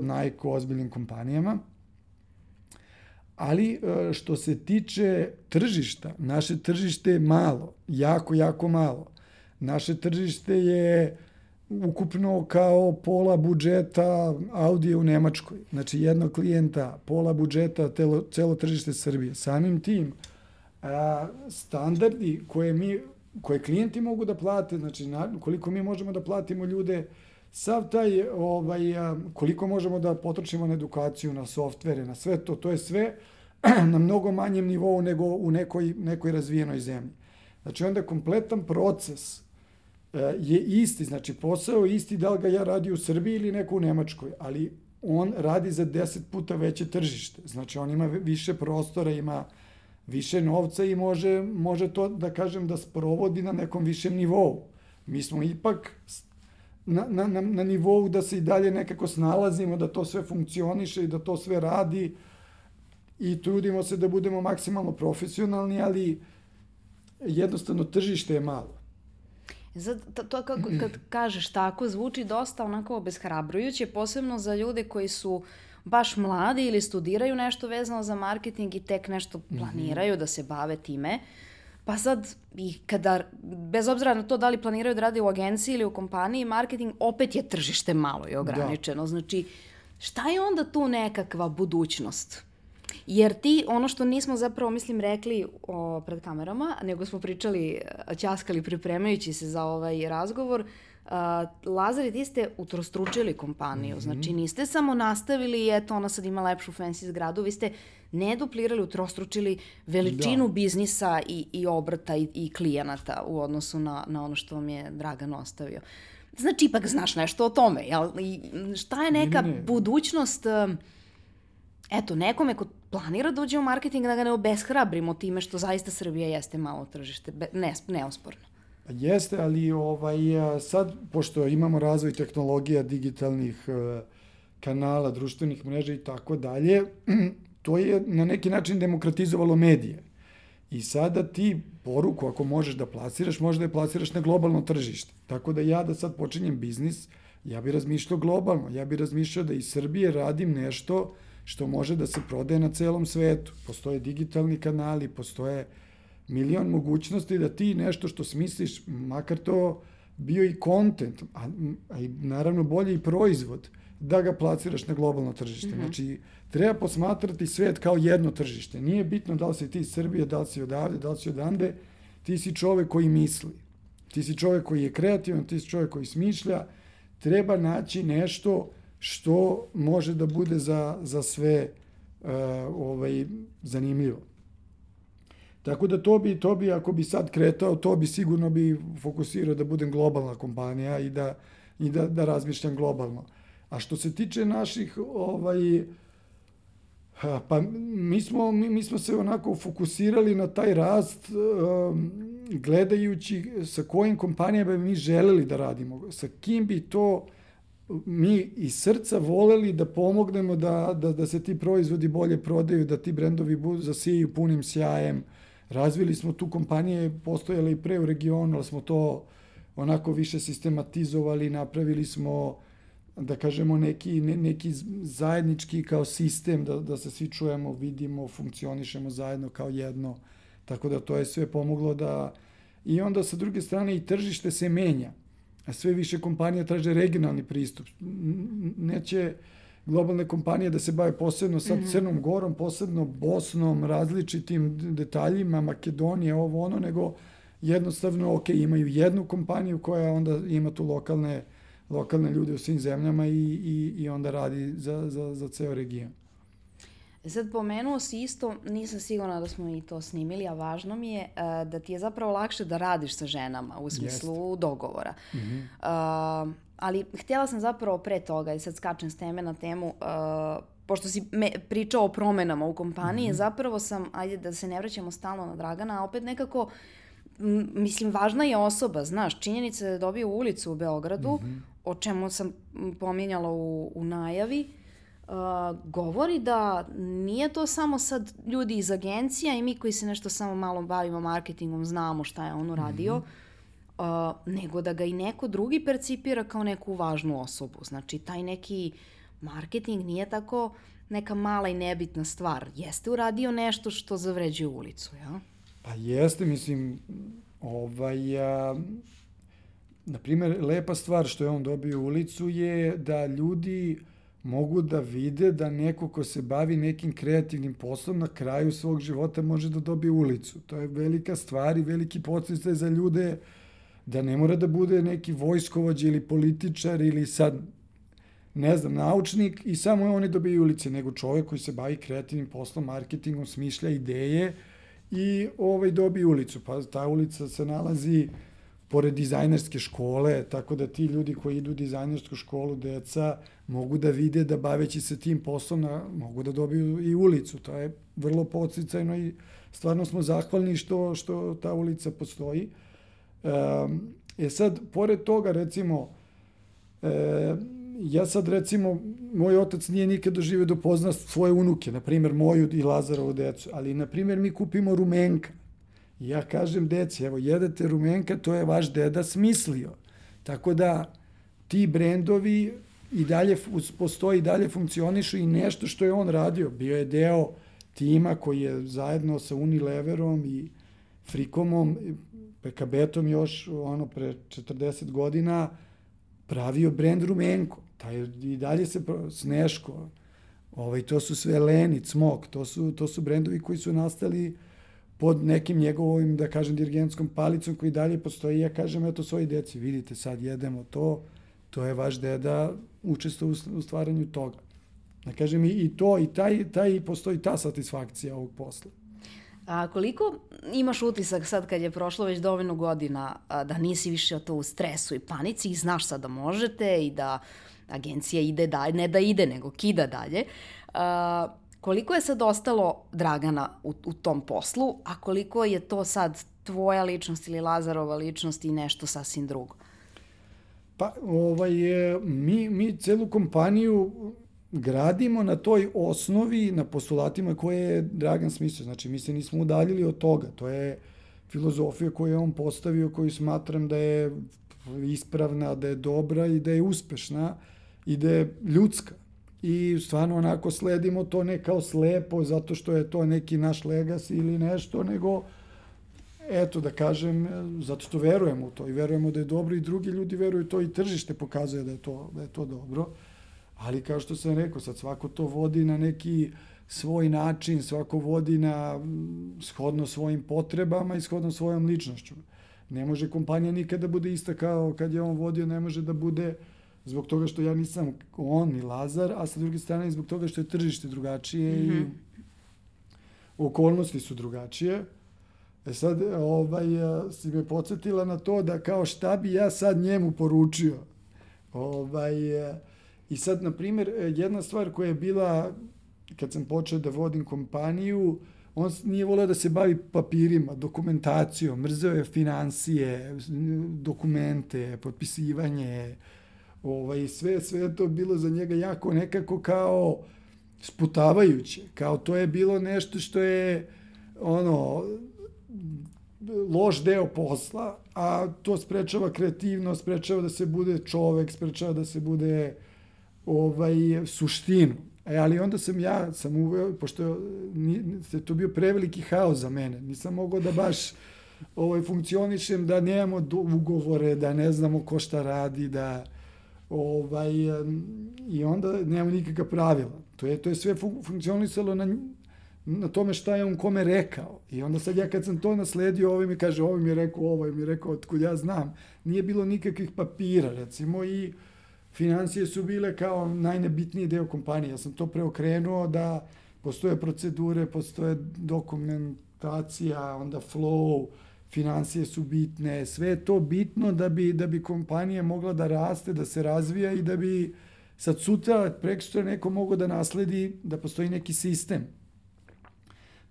Nike-u, ozbiljnim kompanijama. Ali što se tiče tržišta, naše tržište je malo, jako, jako malo. Naše tržište je ukupno kao pola budžeta Audija u Nemačkoj. Znači jednog klijenta, pola budžeta, telo, celo tržište Srbije. Samim tim, a, standardi koje mi, koje klijenti mogu da plate, znači na, koliko mi možemo da platimo ljude, sav taj, ovaj, a, koliko možemo da potrošimo na edukaciju, na softvere, na sve to, to je sve na mnogo manjem nivou nego u nekoj, nekoj razvijenoj zemlji. Znači onda kompletan proces je isti, znači posao je isti da li ga ja radi u Srbiji ili neko u Nemačkoj, ali on radi za deset puta veće tržište. Znači on ima više prostora, ima više novca i može, može to, da kažem, da sprovodi na nekom višem nivou. Mi smo ipak na, na, na, na nivou da se i dalje nekako snalazimo, da to sve funkcioniše i da to sve radi i trudimo se da budemo maksimalno profesionalni, ali jednostavno tržište je malo. Sad, to kako, kad kažeš tako, zvuči dosta onako obeshrabrujuće, posebno za ljude koji su baš mladi ili studiraju nešto vezano za marketing i tek nešto planiraju mm-hmm. da se bave time. Pa sad, i kada, bez obzira na to da li planiraju da rade u agenciji ili u kompaniji, marketing opet je tržište malo i ograničeno. Da. Znači, šta je onda tu nekakva budućnost? Jer ti, ono što nismo zapravo, mislim, rekli o, pred kamerama, nego smo pričali, ćaskali pripremajući se za ovaj razgovor, uh, Lazare, ti ste utrostručili kompaniju. Mm-hmm. Znači, niste samo nastavili i eto, ona sad ima lepšu fancy zgradu, vi ste ne duplirali, utrostručili veličinu da. biznisa i, i obrata i, i klijenata u odnosu na, na ono što vam je Dragan ostavio. Znači, ipak znaš nešto o tome, jel? I šta je neka ne, ne. budućnost... Eto, nekome ko planira da uđe u marketing, da ga ne obeshrabrimo time što zaista Srbija jeste malo tržište, ne, neosporno. Jeste, ali ovaj, sad, pošto imamo razvoj tehnologija, digitalnih kanala, društvenih mreža i tako dalje, to je na neki način demokratizovalo medije. I sada ti poruku, ako možeš da plasiraš, možeš da je plasiraš na globalno tržište. Tako da ja da sad počinjem biznis, ja bi razmišljao globalno, ja bi razmišljao da iz Srbije radim nešto što može da se prodaje na celom svetu. Postoje digitalni kanali, postoje milion mogućnosti da ti nešto što smisliš, makar to bio i kontent, a, a i naravno bolje i proizvod, da ga plasiraš na globalno tržište. Mm-hmm. Znači, treba posmatrati svet kao jedno tržište. Nije bitno da li si ti iz Srbije, da li si odavde, da li si odande, ti si čovek koji misli. Ti si čovek koji je kreativan, ti si čovek koji smišlja. Treba naći nešto što može da bude za, za sve uh, ovaj, zanimljivo. Tako da to bi, to bi, ako bi sad kretao, to bi sigurno bi fokusirao da budem globalna kompanija i da, i da, da razmišljam globalno. A što se tiče naših, ovaj, pa mi smo, mi, mi smo se onako fokusirali na taj rast um, gledajući sa kojim kompanijama bi mi želeli da radimo, sa kim bi to mi iz srca voleli da pomognemo da, da, da se ti proizvodi bolje prodaju, da ti brendovi zasijaju punim sjajem. Razvili smo tu kompanije, postojale i pre u regionu, ali smo to onako više sistematizovali, napravili smo, da kažemo, neki, ne, neki zajednički kao sistem, da, da se svi čujemo, vidimo, funkcionišemo zajedno kao jedno. Tako da to je sve pomoglo da... I onda sa druge strane i tržište se menja. A sve više kompanija traže regionalni pristup. Neće globalne kompanije da se bave posebno sad mm-hmm. Crnom Gorom, posebno Bosnom, različitim detaljima, Makedonije, ovo ono, nego jednostavno, ok, imaju jednu kompaniju koja onda ima tu lokalne, lokalne ljude u svim zemljama i, i, i onda radi za, za, za ceo region. Sad pomenuo si isto, nisam sigurna da smo i to snimili, a važno mi je uh, da ti je zapravo lakše da radiš sa ženama u smislu Jest. dogovora. Mm-hmm. Uh, ali htjela sam zapravo pre toga, i sad skačem s teme na temu, uh, pošto si me, pričao o promenama u kompaniji, mm-hmm. zapravo sam, ajde da se ne vraćamo stalno na Dragana, a opet nekako m, mislim, važna je osoba, znaš, činjenica da je dobio ulicu u Beogradu, mm-hmm. o čemu sam pominjala u, u najavi, uh, govori da nije to samo sad ljudi iz agencija i mi koji se nešto samo malo bavimo marketingom, znamo šta je on uradio, mm-hmm. uh, nego da ga i neko drugi percipira kao neku važnu osobu. Znači, taj neki marketing nije tako neka mala i nebitna stvar. Jeste uradio nešto što zavređuje ulicu, ja? Pa jeste, mislim, ovaj, a, na primjer, lepa stvar što je on dobio ulicu je da ljudi mogu da vide da neko ko se bavi nekim kreativnim poslom na kraju svog života može da dobije ulicu. To je velika stvar i veliki podsticaj za ljude da ne mora da bude neki vojskovođa ili političar ili sad, ne znam, naučnik i samo oni dobiju ulice, nego čovjek koji se bavi kreativnim poslom, marketingom, smišlja ideje i ovaj dobije ulicu. Pa ta ulica se nalazi pored dizajnerske škole, tako da ti ljudi koji idu u dizajnersku školu, deca, mogu da vide da baveći se tim poslom na, mogu da dobiju i ulicu. To je vrlo podsticajno i stvarno smo zahvalni što, što ta ulica postoji. E sad, pored toga, recimo, e, ja sad, recimo, moj otac nije nikad doživio da pozna svoje unuke, na primjer moju i Lazarovu decu, ali, na primjer, mi kupimo rumenka. I ja kažem deci, evo, jedete rumenka, to je vaš deda smislio. Tako da, ti brendovi i dalje postoji, i dalje funkcionišu i nešto što je on radio. Bio je deo tima koji je zajedno sa Unileverom i Frikomom, Pekabetom još, ono, pre četrdeset godina, pravio brend rumenko. Taj, i dalje se, Sneško, ovaj, to su sve Leni, Cmok, to su, to su brendovi koji su nastali pod nekim njegovim, da kažem, dirigentskom palicom koji dalje postoji. Ja kažem, eto, svoji deci, vidite, sad jedemo to, to je vaš deda učestvovao u stvaranju toga. Da kažem, i to, i taj, taj, postoji ta satisfakcija ovog posla. A koliko imaš utisak sad kad je prošlo već dovoljno godina da nisi više to u stresu i panici i znaš sad da možete i da agencija ide dalje, ne da ide, nego kida dalje. A, koliko je sad ostalo Dragana u, u tom poslu, a koliko je to sad tvoja ličnost ili Lazarova ličnost i nešto sasvim drugo? Pa, ovaj, mi, mi celu kompaniju gradimo na toj osnovi, na postulatima koje je Dragan smislio. Znači, mi se nismo udaljili od toga. To je filozofija koju je on postavio, koju smatram da je ispravna, da je dobra i da je uspešna i da je ljudska. I stvarno onako sledimo to ne kao slepo, zato što je to neki naš legacy ili nešto, nego, eto, da kažem, zato što verujemo u to i verujemo da je dobro i drugi ljudi veruju to i tržište pokazuje da je to, da je to dobro. Ali kao što sam rekao, sad svako to vodi na neki svoj način, svako vodi na shodno svojim potrebama i shodno svojom ličnošću. Ne može kompanija nikada da bude ista kao kad je on vodio, ne može da bude zbog toga što ja nisam on ni Lazar, a sa druge strane zbog toga što je tržište drugačije mm-hmm. i okolnosti su drugačije. E sad, ovaj, si me podsjetila na to da kao šta bi ja sad njemu poručio. Ovaj, I sad, na primjer, jedna stvar koja je bila, kad sam počeo da vodim kompaniju, on nije voleo da se bavi papirima, dokumentacijom, mrzeo je finansije, dokumente, potpisivanje, ovaj, sve, sve to bilo za njega jako nekako kao sputavajuće, kao to je bilo nešto što je, ono, loš deo posla, a to sprečava kreativnost, sprečava da se bude čovek, sprečava da se bude ovaj, suštinu. E, ali onda sam ja, sam uveo, pošto je to bio preveliki haos za mene, nisam mogao da baš ovaj, funkcionišem, da nemamo ugovore, da ne znamo ko šta radi, da ovaj, i onda nemamo nikakva pravila. To je, to je sve funkcionisalo na, na tome šta je on kome rekao. I onda sad ja kad sam to nasledio, ovaj mi kaže, ovaj mi je rekao, ovaj mi je rekao, otkud ja znam. Nije bilo nikakvih papira, recimo, i financije su bile kao najnebitniji deo kompanije. Ja sam to preokrenuo da postoje procedure, postoje dokumentacija, onda flow, financije su bitne, sve je to bitno da bi, da bi kompanija mogla da raste, da se razvija i da bi sad sutra, prekosutra neko mogao da nasledi, da postoji neki sistem.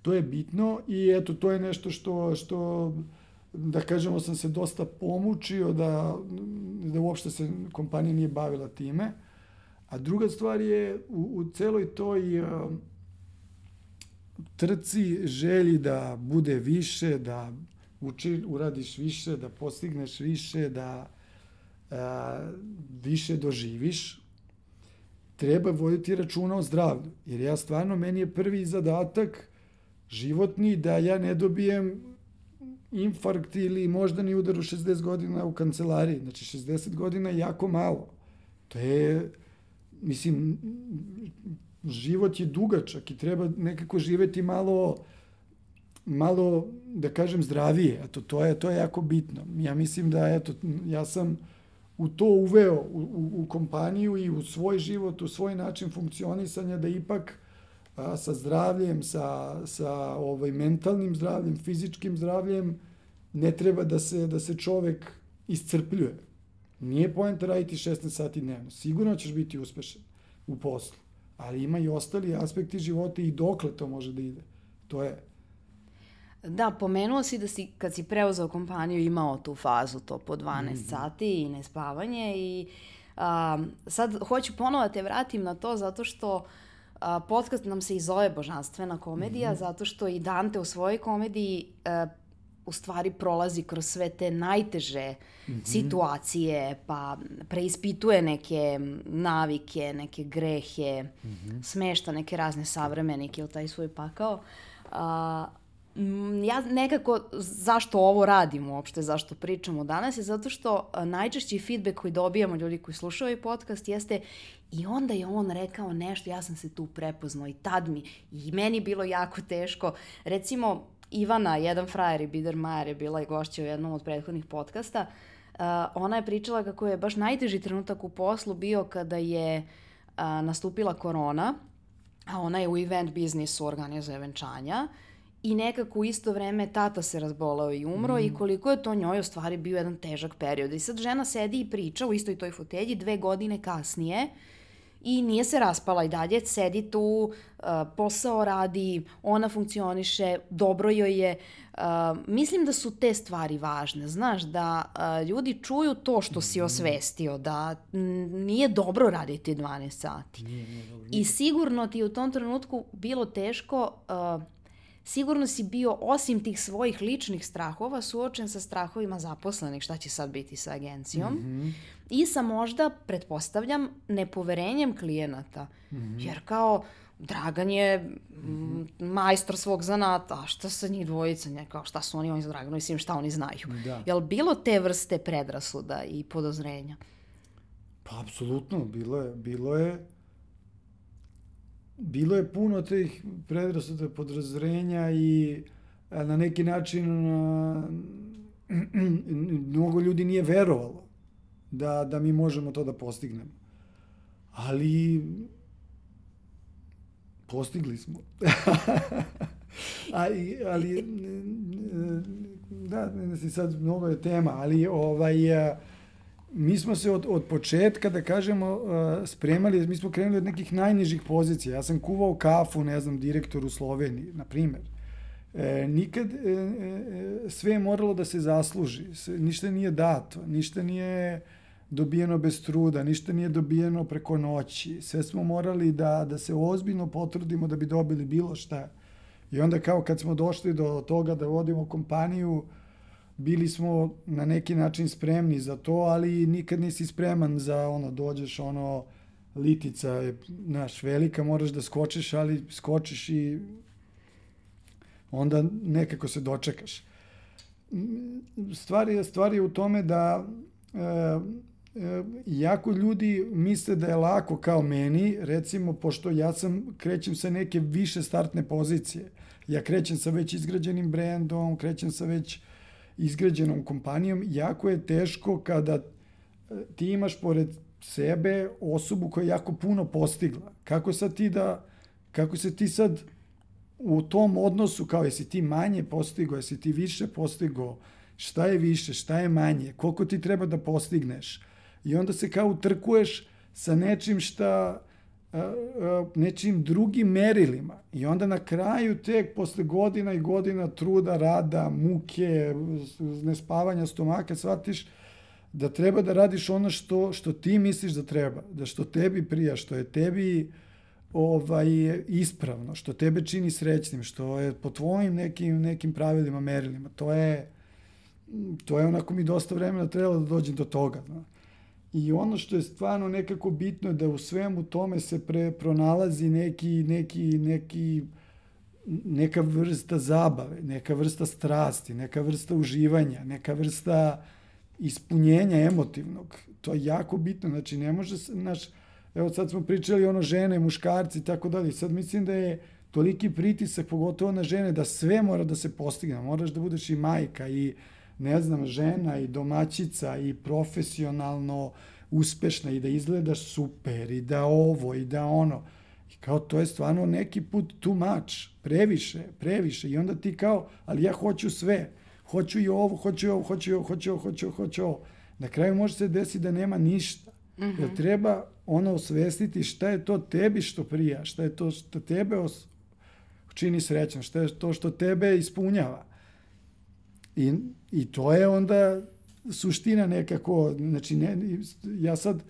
To je bitno i eto, to je nešto što, što da kažemo, sam se dosta pomučio da, da uopšte se kompanija nije bavila time. A druga stvar je u, u celoj toj uh, trci, želji da bude više, da uči, uradiš više, da postigneš više, da uh, više doživiš, treba voditi računa o zdravlju. Jer ja stvarno, meni je prvi zadatak životni da ja ne dobijem infarkt ili moždani udar u šezdeset godina u kancelariji. Znači, šezdeset godina je jako malo. To je, mislim, život je dugačak i treba nekako živeti malo, malo, da kažem, zdravije. Eto, to je, to je jako bitno. Ja mislim da, eto, ja sam u to uveo u, u, u kompaniju i u svoj život, u svoj način funkcionisanja, da ipak a, sa zdravljem, sa, sa ovaj, mentalnim zdravljem, fizičkim zdravljem, ne treba da se, da se čovek iscrpljuje. Nije poenta raditi šesnaest sati dnevno. Sigurno ćeš biti uspešan u poslu, ali ima i ostali aspekti života i dokle to može da ide. To je. Da, pomenuo si da si, kad si preuzeo kompaniju, imao tu fazu, to po dvanaest Mhm. sati i nespavanje i a, sad hoću ponovo da te vratim na to zato što a, podcast nam se i zove Božanstvena komedija, zato što i Dante u svojoj komediji a, u stvari prolazi kroz sve te najteže situacije, pa preispituje neke navike, neke grehe, smešta neke razne savremenike ili taj svoj pakao. A, Mm, ja nekako, zašto ovo radim uopšte, zašto pričamo danas, je zato što a, najčešći feedback koji dobijamo ljudi koji slušaju ovaj podcast jeste i onda je on rekao nešto, ja sam se tu prepoznao i tad mi, i meni bilo jako teško. Recimo, Ivana, jedan frajer i Biedermajer je bila i gošća u jednom od prethodnih podcasta, a, ona je pričala kako je baš najteži trenutak u poslu bio kada je a, nastupila korona, a ona je u event biznisu, organizuje venčanja, i nekako u isto vreme tata se razboleo i umro mm. i koliko je to njoj u stvari bio jedan težak period. I sad žena sedi i priča u istoj toj fotelji dve godine kasnije i nije se raspala i dalje, sedi tu, uh, posao radi, ona funkcioniše, dobro joj je. Uh, mislim da su te stvari važne, znaš, da uh, ljudi čuju to što si osvestio, da m, nije dobro raditi dvanaest sati. Nije, nije dobro. I sigurno ti je u tom trenutku bilo teško. Uh, Sigurno si bio, osim tih svojih ličnih strahova, suočen sa strahovima zaposlenih, šta će sad biti sa agencijom, mm-hmm. i sa možda, pretpostavljam, nepoverenjem klijenata. Mm-hmm. Jer kao, Dragan je mm-hmm. majstor svog zanata, a šta sa njih dvojica, ne, kao šta su oni, oni za Draganu, mislim šta oni znaju. Da. Jel bilo te vrste predrasuda i podozrenja? Pa, apsolutno, bilo je, bilo je, bilo je puno tih predrasuda, podozrenja i a, na neki način a, mnogo ljudi nije verovalo da, da mi možemo to da postignemo. Ali postigli smo. A, ali da, ne znam, sad mnogo je tema, ali ovaj a, mi smo se od, od početka, da kažemo, spremali, mi smo krenuli od nekih najnižih pozicija. Ja sam kuvao kafu, ne znam, direktor u Sloveniji, na primjer. E, nikad e, e, sve je moralo da se zasluži. Sve, ništa nije dato, ništa nije dobijeno bez truda, ništa nije dobijeno preko noći. Sve smo morali da, da se ozbiljno potrudimo da bi dobili bilo šta. I onda kao kad smo došli do toga da vodimo kompaniju, bili smo na neki način spremni za to, ali nikad nisi spreman za ono, dođeš ono, litica je, znaš, velika, moraš da skočiš, ali skočiš i onda nekako se dočekaš. Stvar je, stvar je u tome da e, e, jako ljudi misle da je lako kao meni, recimo, pošto ja sam, krećem sa neke više startne pozicije. Ja krećem sa već izgrađenim brendom, krećem sa već izgrađenom kompanijom, jako je teško kada ti imaš pored sebe osobu koja je jako puno postigla. Kako sad ti da, kako se ti sad u tom odnosu, kao jesi ti manje postigao, jesi ti više postigao, šta je više, šta je manje, koliko ti treba da postigneš. I onda se kao utrkuješ sa nečim šta nečim drugim merilima. I onda na kraju tek posle godina i godina truda, rada, muke, nespavanja stomaka, shvatiš da treba da radiš ono što, što ti misliš da treba, da što tebi prija, što je tebi ovaj, ispravno, što tebe čini srećnim, što je po tvojim nekim, nekim pravilima, merilima. To je, to je onako mi dosta vremena trebalo da dođem do toga. Zna. I ono što je stvarno nekako bitno je da u svemu tome se pre, pronalazi neki, neki, neki, neka vrsta zabave, neka vrsta strasti, neka vrsta uživanja, neka vrsta ispunjenja emotivnog. To je jako bitno. Znači, ne može se, naš, evo sad smo pričali ono žene, muškarci i tako dalje. Sad mislim da je toliki pritisak, pogotovo na žene, da sve mora da se postigne. Moraš da budeš i majka i ne znam, žena i domaćica i profesionalno uspešna i da izgledaš super i da ovo i da ono. I kao to je stvarno neki put too much, previše, previše. I onda ti kao, ali ja hoću sve. Hoću i ovo, hoću i ovo, hoću i ovo, hoću i ovo, hoću i ovo, hoću i ovo. Na kraju može se desiti da nema ništa. Mm-hmm. Jer treba ono osvestiti šta je to tebi što prija, šta je to što tebe os... čini srećan, šta je to što tebe ispunjava. I, i to je onda suština nekako, znači ne, ja sad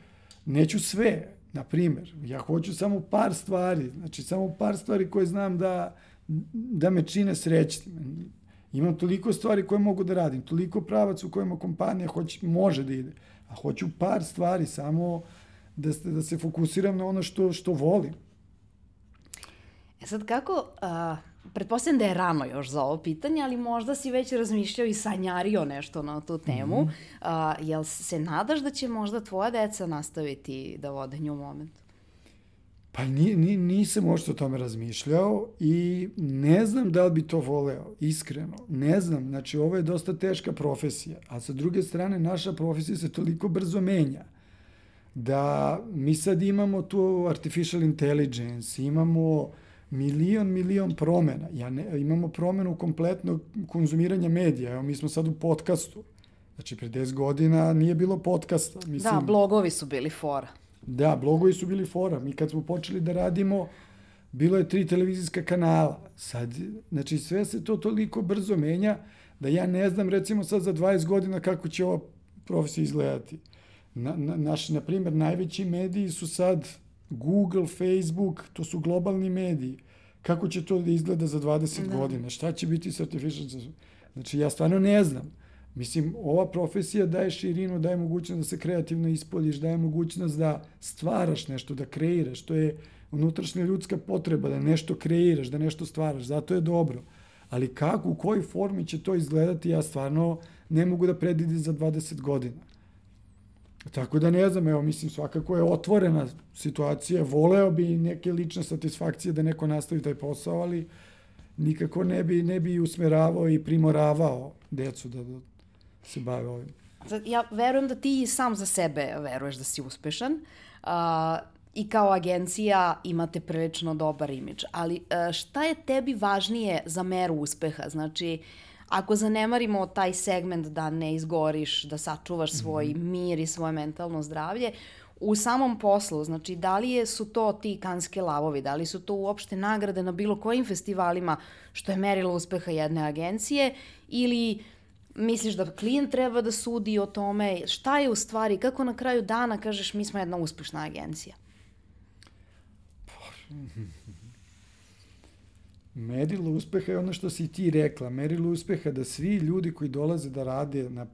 neću sve, na primjer, ja hoću samo par stvari, znači samo par stvari koje znam da, da me čine srećnim. Imam toliko stvari koje mogu da radim, toliko pravac u kojima kompanija hoće, može da ide, a hoću par stvari samo da, da se fokusiram na ono što, što volim. E sad kako, a, pretpostavljam da je rano još za ovo pitanje, ali možda si već razmišljao i sanjario nešto na tu temu. Mm-hmm. A, jel se nadaš da će možda tvoja deca nastaviti da vode New Moment? Pa ni, ni, nisam možda o tome razmišljao i ne znam da li bi to voleo, iskreno. Ne znam, znači ovo je dosta teška profesija, a sa druge strane naša profesija se toliko brzo menja da mi sad imamo tu artificial intelligence, imamo milion, milion promena. Ja ne, imamo promenu kompletnog konzumiranja medija. Evo, mi smo sad u podcastu. Znači, pre deset godina nije bilo podcasta. Mislim, da, blogovi su bili fora. Da, blogovi su bili fora. Mi kad smo počeli da radimo, bilo je tri televizijska kanala. Sad, znači, sve se to toliko brzo menja da ja ne znam, recimo sad za dvadeset godina kako će ova profesija izgledati. Na, na, naš, na primjer, najveći mediji su sad Google, Facebook, to su globalni mediji. Kako će to da izgleda za dvadeset da. godina? Šta će biti s artificial? Znači, ja stvarno ne znam. Mislim, ova profesija daje širinu, daje mogućnost da se kreativno ispoljiš, daje mogućnost da stvaraš nešto, da kreiraš. To je unutrašnja ljudska potreba, da nešto kreiraš, da nešto stvaraš. Zato je dobro. Ali kako, u kojoj formi će to izgledati, ja stvarno ne mogu da predvidim za dvadeset godina. Tako da ne znam, evo, mislim, svakako je otvorena situacija, voleo bi neke lične satisfakcije da neko nastavi taj posao, ali nikako ne bi, ne bi usmeravao i primoravao decu da, da se bave ovim. Ja verujem da ti sam za sebe veruješ da si uspešan uh, i kao agencija imate prilično dobar imidž, ali uh, šta je tebi važnije za meru uspeha? Znači, ako zanemarimo taj segment da ne izgoriš, da sačuvaš svoj mm-hmm. mir i svoje mentalno zdravlje, u samom poslu, znači da li je, su to ti Kanske lavovi, da li su to uopšte nagrade na bilo kojim festivalima što je merilo uspeha jedne agencije ili misliš da klijent treba da sudi o tome, šta je u stvari, kako na kraju dana kažeš mi smo jedna uspešna agencija? Merilo uspeha je ono što si ti rekla. Merilo uspeha da svi ljudi koji dolaze da rade na,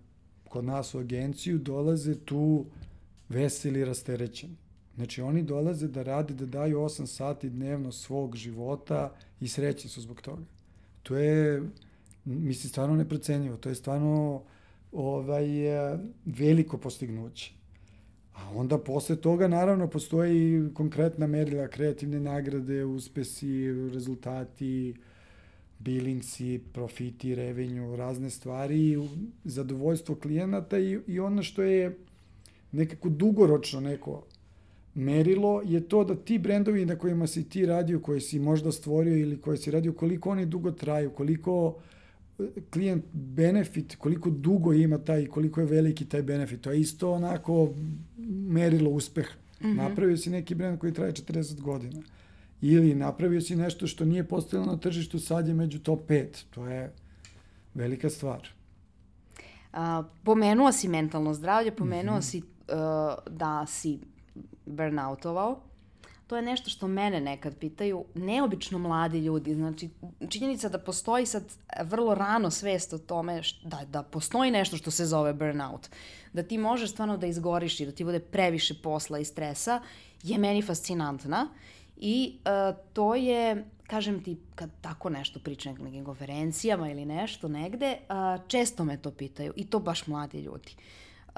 kod nas u agenciju dolaze tu veseli i rasterećeni. Znači oni dolaze da rade, da daju osam sati dnevno svog života i srećni su zbog toga. To je, mislim, stvarno neprocenjivo. To je stvarno ovaj, veliko postignuće. A onda posle toga naravno postoji konkretna merila, kreativne nagrade, uspesi, rezultati, billingsi, profiti, revenju, razne stvari, zadovoljstvo klijenata i, i ono što je nekako dugoročno neko merilo je to da ti brendovi na kojima si ti radio, koje si možda stvorio ili koje si radio, koliko oni dugo traju, koliko klijent benefit, koliko dugo ima taj, koliko je veliki taj benefit. To je isto onako merilo uspeha. Mm-hmm. Napravio si neki brend koji traje četrdeset godina. Ili napravio si nešto što nije postojalo na tržištu, sad je među top pet. To je velika stvar. A, pomenuo si mentalno zdravlje, pomenuo mm-hmm. si uh, da si burnoutovao. To je nešto što mene nekad pitaju, neobično mladi ljudi. Znači, činjenica da postoji sad vrlo rano svest o tome št, da, da postoji nešto što se zove burnout, da ti možeš stvarno da izgoriš i da ti bude previše posla i stresa, je meni fascinantna. I uh, to je, kažem ti, kad tako nešto pričam na nekim konferencijama ili nešto negde, uh, često me to pitaju i to baš mladi ljudi. Uh,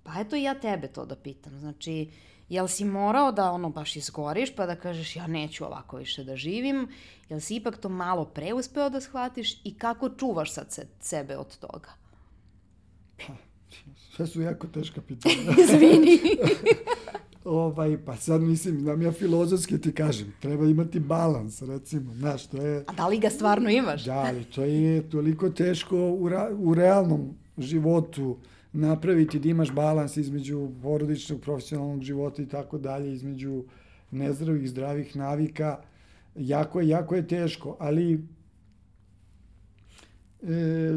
pa eto i ja tebe to da pitam. Znači, jel si morao da ono baš izgoriš pa da kažeš ja neću ovako više da živim? Jel si ipak to malo pre uspeo da shvatiš i kako čuvaš sad se, sebe od toga? Pa, sve su jako teška pitanja. Izvini. Ovaj, pa sad mislim, znam ja filozofski ti kažem, treba imati balans, recimo, znaš, to je... A da li ga stvarno imaš? Da, ali to je toliko teško u, ra, u realnom životu napraviti da imaš balans između porodičnog, profesionalnog života i tako dalje, između nezdravih, zdravih navika. Jako je, jako je teško, ali... E,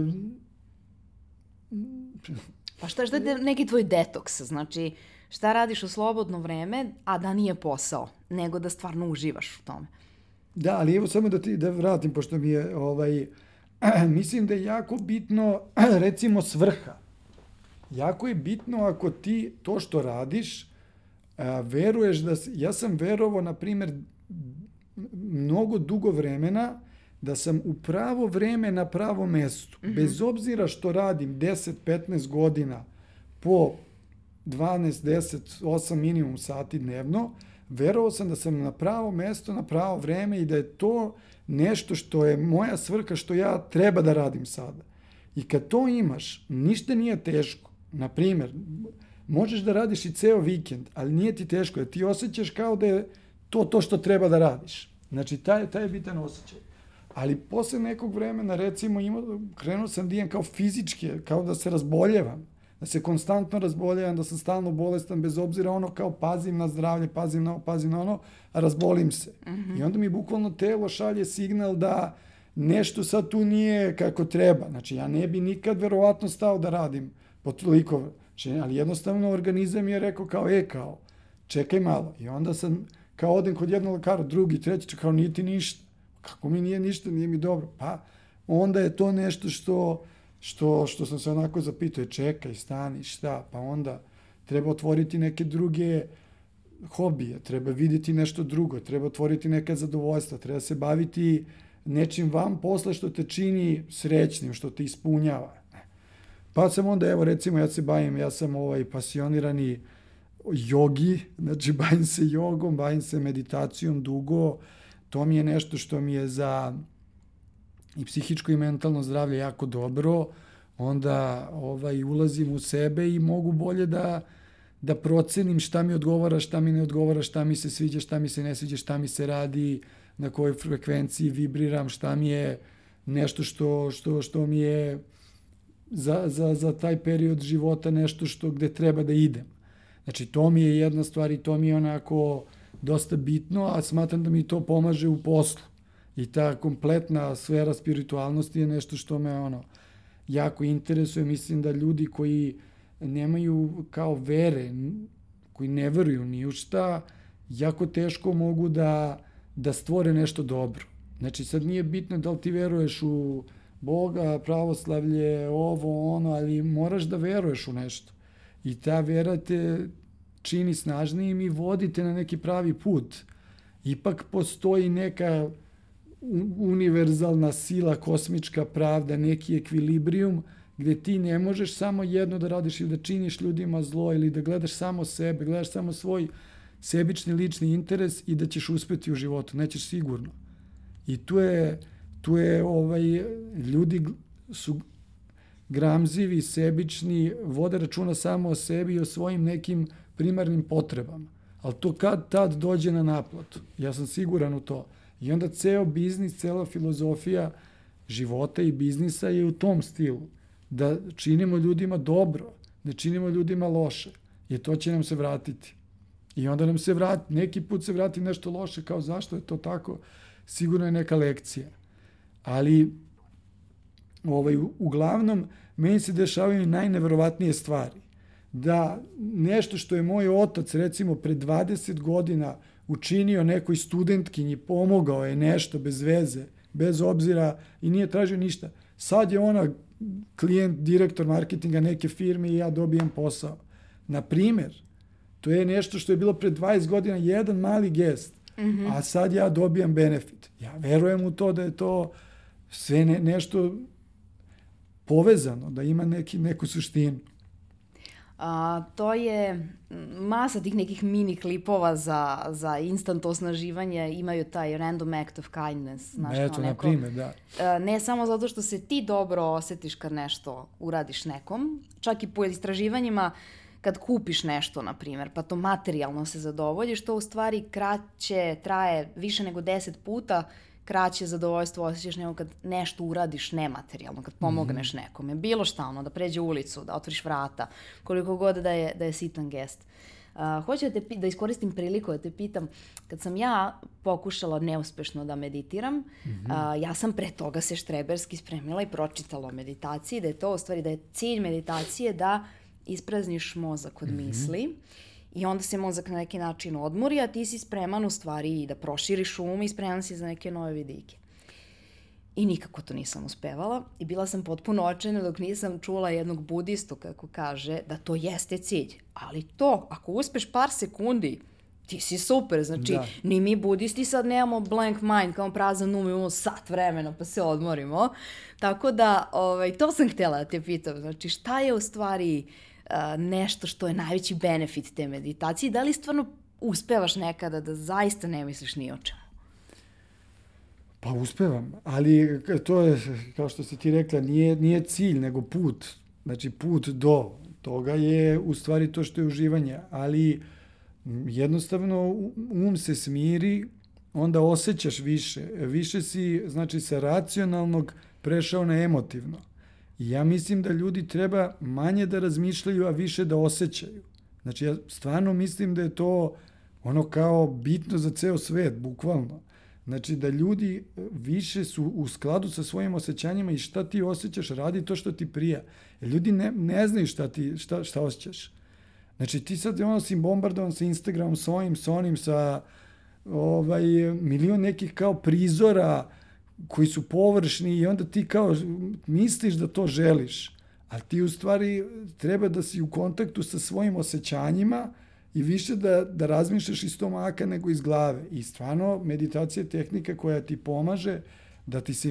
pa šta, šta je neki tvoj detoks? Znači, šta radiš u slobodno vreme, a da nije posao, nego da stvarno uživaš u tome? Da, ali evo samo da ti da vratim, pošto mi je, ovaj, mislim da je jako bitno, recimo, svrha. Jako je bitno ako ti to što radiš, a, veruješ da... Ja sam verovao, na primjer, mnogo dugo vremena da sam u pravo vreme na pravom mestu. Mm-hmm. Bez obzira što radim deset do petnaest godina po dvanaest, deset, osam minimum sati dnevno, verovao sam da sam na pravo mesto, na pravo vreme i da je to nešto što je moja svrha, što ja treba da radim sada. I kad to imaš, ništa nije teško. Naprimjer, možeš da radiš i ceo vikend, ali nije ti teško, jer ti osjećaš kao da je to to što treba da radiš. Znači, taj, taj je bitan osjećaj. Ali posle nekog vremena, recimo, ima, krenuo sam da imam kao fizičke, kao da se razboljevam, da se konstantno razboljevam, da sam stalno bolestan, bez obzira ono kao pazim na zdravlje, pazim na ovo, pazim na ono, a razbolim se. Mm-hmm. I onda mi bukvalno telo šalje signal da nešto sad tu nije kako treba. Znači, ja ne bi nikad verovatno stao da radim po toliko, znači, ali jednostavno organizam je rekao kao, e, kao, čekaj malo. I onda sam, kao odem kod jednog lekara, drugi, treći, kao, nije ti ništa. Kako mi nije ništa, nije mi dobro. Pa, onda je to nešto što, što, što sam se onako zapitao, čekaj, stani, šta, pa onda treba otvoriti neke druge hobije, treba vidjeti nešto drugo, treba otvoriti neka zadovoljstva, treba se baviti nečim van posla što te čini srećnim, što te ispunjava. Pa sam onda, evo recimo, ja se bavim, ja sam ovaj pasionirani jogi, znači bavim se jogom, bavim se meditacijom dugo, to mi je nešto što mi je za i psihičko i mentalno zdravlje jako dobro, onda ovaj, ulazim u sebe i mogu bolje da, da procenim šta mi odgovara, šta mi ne odgovara, šta mi se sviđa, šta mi se ne sviđa, šta mi se radi, na kojoj frekvenciji vibriram, šta mi je nešto što, što, što mi je za, za, za taj period života nešto što gde treba da idem. Znači, to mi je jedna stvar i to mi je onako dosta bitno, a smatram da mi to pomaže u poslu. I ta kompletna sfera spiritualnosti je nešto što me ono jako interesuje. Mislim da ljudi koji nemaju kao vere, koji ne veruju ni u šta, jako teško mogu da, da stvore nešto dobro. Znači, sad nije bitno da li ti veruješ u Boga, pravoslavlje, ovo, ono, ali moraš da veruješ u nešto. I ta vera te čini snažnijim i vodite na neki pravi put. Ipak postoji neka univerzalna sila, kosmička pravda, neki ekvilibrijum gde ti ne možeš samo jedno da radiš ili da činiš ljudima zlo ili da gledaš samo sebe, gledaš samo svoj sebični lični interes i da ćeš uspeti u životu. Nećeš sigurno. I tu je, tu je ovaj, ljudi su gramzivi, sebični, vode računa samo o sebi i o svojim nekim primarnim potrebama. Ali to kad tad dođe na naplatu. Ja sam siguran u to. I onda ceo biznis, cela filozofija života i biznisa je u tom stilu. Da činimo ljudima dobro, da činimo ljudima loše. Jer to će nam se vratiti. I onda nam se vrati, neki put se vrati nešto loše, kao zašto je to tako, sigurno je neka lekcija. Ali, ovaj, uglavnom, meni se dešavaju najneverovatnije stvari. Da nešto što je moj otac, recimo, pre dvadeset godina učinio nekoj studentkinji, pomogao je nešto bez veze, bez obzira i nije tražio ništa. Sad je ona klijent, direktor marketinga neke firme i ja dobijem posao. Na primer, to je nešto što je bilo pre dvadeset godina, jedan mali gest, mm-hmm. a sad ja dobijam benefit. Ja verujem u to da je to sve ne, nešto povezano, da ima neki, neku suštinu. A, to je masa tih nekih mini klipova za, za instant osnaživanje, imaju taj random act of kindness. Znaš, Eto, na primjer, da. A, ne samo zato što se ti dobro osjetiš kad nešto uradiš nekom, čak i po istraživanjima kad kupiš nešto, na primjer, pa to materijalno se zadovoljiš, to u stvari kraće traje više nego deset puta, kraće zadovoljstvo osjećaš nego kad nešto uradiš nematerijalno, kad pomogneš mm-hmm. nekome. Bilo šta, ono, da pređe ulicu, da otvoriš vrata, koliko god da je, da je sitan gest. Uh, hoću da, te, da iskoristim priliku da te pitam, kad sam ja pokušala neuspešno da meditiram, mm-hmm. uh, ja sam pre toga se štreberski spremila i pročitala o meditaciji, da je to u stvari, da je cilj meditacije da isprazniš mozak od mm-hmm. misli i onda se mozak na neki način odmori, a ti si spreman u stvari da proširiš um i spreman si za neke nove vidike. I nikako to nisam uspevala i bila sam potpuno očajna dok nisam čula jednog budistu kako kaže da to jeste cilj. Ali to, ako uspeš par sekundi, ti si super. Znači, da. Ni mi budisti sad nemamo blank mind, kao prazan um, imamo sat vremena pa se odmorimo. Tako da, ovaj, to sam htjela da te pitam. Znači, šta je u stvari uh, nešto što je najveći benefit te meditacije? Da li stvarno uspevaš nekada da zaista ne misliš ni o čemu? Pa uspevam, ali to je, kao što si ti rekla, nije, nije cilj, nego put. Znači, put do toga je u stvari to što je uživanje, ali jednostavno um se smiri, onda osjećaš više. Više si, znači, sa racionalnog prešao na emotivno. I ja mislim da ljudi treba manje da razmišljaju, a više da osjećaju. Znači, ja stvarno mislim da je to ono kao bitno za ceo svet, bukvalno. Znači, da ljudi više su u skladu sa svojim osjećanjima i šta ti osjećaš, radi to što ti prija. Jer ljudi ne, ne znaju šta, ti, šta, šta osjećaš. Znači, ti sad ono si bombardovan sa Instagramom, sa ovim, sa onim, sa ovaj, milion nekih kao prizora koji su površni i onda ti kao misliš da to želiš. A ti u stvari treba da si u kontaktu sa svojim osjećanjima i više da, da razmišljaš iz stomaka nego iz glave. I stvarno, meditacija je tehnika koja ti pomaže da ti se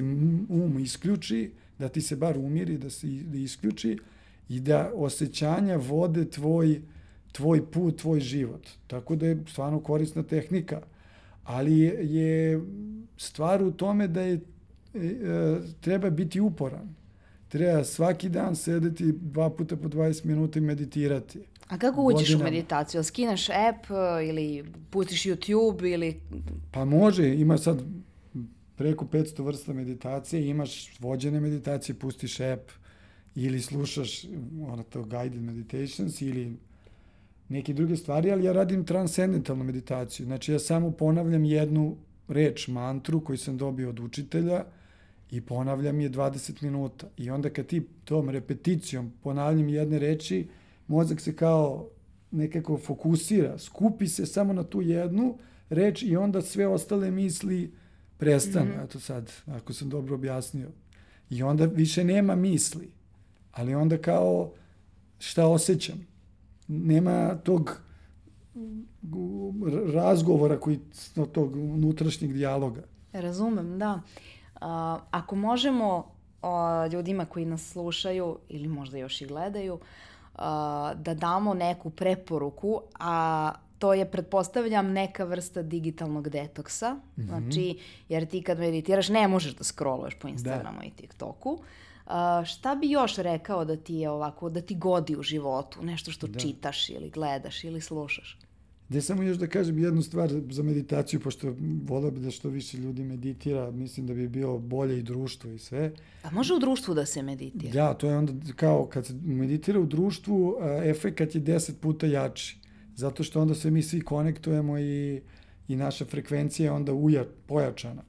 um isključi, da ti se bar umiri, da se da isključi i da osjećanja vode tvoj, tvoj put, tvoj život. Tako da je stvarno korisna tehnika. Ali je, je stvar u tome da je, e, treba biti uporan. Treba svaki dan sedeti dva puta po dvadeset minuta i meditirati. A kako uđeš godinama u meditaciju? Skineš app ili pustiš YouTube ili... Pa može, ima sad preko petsto vrsta meditacije, imaš vođene meditacije, pustiš app ili slušaš ono to guided meditations ili neke druge stvari, ali ja radim transcendentalnu meditaciju. Znači ja samo ponavljam jednu reč, mantru koju sam dobio od učitelja i ponavljam je dvadeset minuta. I onda kad ti tom repeticijom ponavljam jedne reči, mozak se kao nekako fokusira, skupi se samo na tu jednu reč i onda sve ostale misli prestanu. Mm-hmm. Eto sad, ako sam dobro objasnio. I onda više nema misli, ali onda kao šta osjećam. Nema tog razgovora, koji, tog unutrašnjeg dijaloga. Razumem, da. Uh, ako možemo uh, ljudima koji nas slušaju ili možda još i gledaju, Uh, da damo neku preporuku, a to je, pretpostavljam, neka vrsta digitalnog detoksa. Mm-hmm. Znači, jer ti kad meditiraš ne možeš da scrolluješ po Instagramu da. I TikToku. Uh, šta bi još rekao da ti je ovako, da ti godi u životu? Nešto što da. Čitaš ili gledaš ili slušaš? Da samo još da kažem jednu stvar za meditaciju, pošto voleo bi da što više ljudi meditira, mislim da bi bio bolje i društvo i sve. A može u društvu da se meditira? Da, to je onda kao kad se meditira u društvu, efekat je deset puta jači. zato što onda se mi svi konektujemo i, i naša frekvencija je onda uja, pojačana.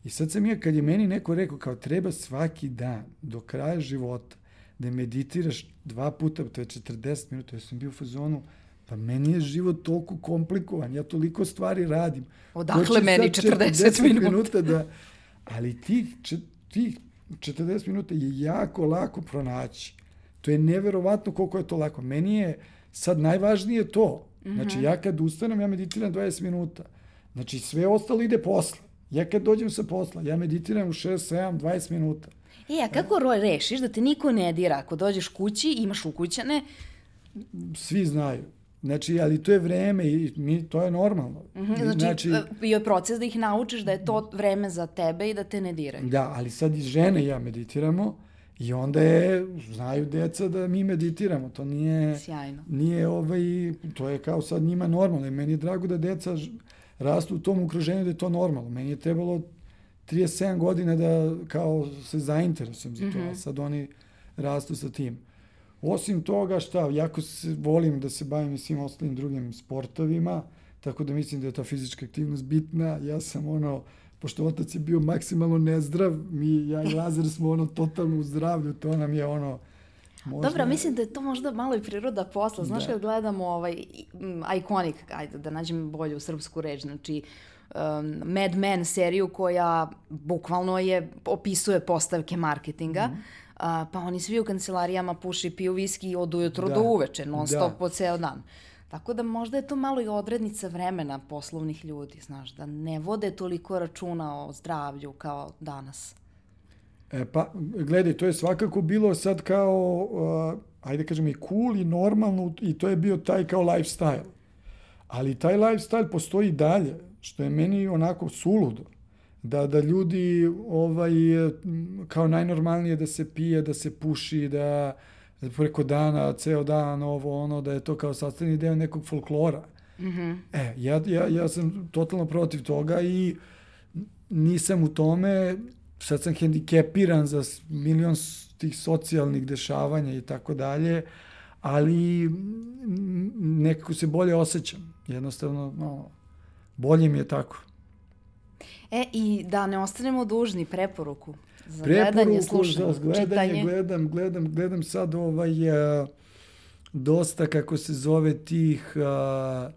I sad sam ja, kad je meni neko rekao kao treba svaki dan do kraja života da meditiraš dva puta, to je četrdeset minuta, ja sam bio u fazonu, pa meni je život toliko komplikovan, ja toliko stvari radim. Odakle meni četrdeset minuta? Da, ali tih, tih četrdeset minuta je jako lako pronaći. To je neverovatno koliko je to lako. Meni je sad najvažnije to. Znači, ja kad ustanem, ja meditiram dvadeset minuta. Znači, sve ostalo ide posle. Ja kad dođem sa posla, ja meditiram u šest, sedam, dvadeset minuta. E, a kako rešiš da te niko ne dira? Ako dođeš kući, imaš ukućane? Svi znaju. Znači, ali to je vreme i mi, to je normalno. Mm-hmm, znači, znači, bio je proces da ih naučiš da je to vreme za tebe i da te ne diraju. Da, ali sad i žene i ja meditiramo i onda je, znaju deca da mi meditiramo. To nije... Sjajno. Nije ovaj, to je kao sad njima normalno. I meni je drago da deca rastu u tom okruženju da je to normalno. Meni je trebalo trideset sedam godina da kao se zainteresujem za to, mm-hmm. a sad oni rastu sa tim. Osim toga, šta, jako se, volim da se bavim i svim ostalim drugim sportovima, tako da mislim da je ta fizička aktivnost bitna. Ja sam ono, pošto otac je bio maksimalno nezdrav, mi, ja i Lazar smo ono totalno u zdravlju, to nam je ono... Možda... Dobro, mislim da je to možda malo i priroda posla. Znaš, da. Kad gledamo ovaj Iconic, ajde da nađem bolju srpsku reč, znači um, Mad Men seriju koja bukvalno je, opisuje postavke marketinga, mm. uh, pa oni svi u kancelarijama puši, piju viski od ujutro da. do uveče, non stop da. po ceo dan. Tako da možda je to malo i odrednica vremena poslovnih ljudi, znaš, da ne vode toliko računa o zdravlju kao danas. E, pa, gledaj, to je svakako bilo sad kao, uh, ajde kažem, i cool i normalno i to je bio taj kao lifestyle. Ali taj lifestyle postoji dalje, što je meni onako suludo. Da, da ljudi ovaj, kao najnormalnije da se pije, da se puši, da preko dana, ceo dan, ovo, ono, da je to kao sastavni deo nekog folklora. Mm-hmm. E, ja, ja, ja sam totalno protiv toga i nisam u tome... Sad sam hendikepiran za milion tih socijalnih dešavanja i tako dalje, ali nekako se bolje osjećam. Jednostavno, no, bolje mi je tako. E, i da ne ostanemo dužni preporuku za preporuku, gledanje, slušanje, za gledanje, čitanje. Gledam, gledam, gledam sad ovaj, a, dosta, kako se zove, tih... A,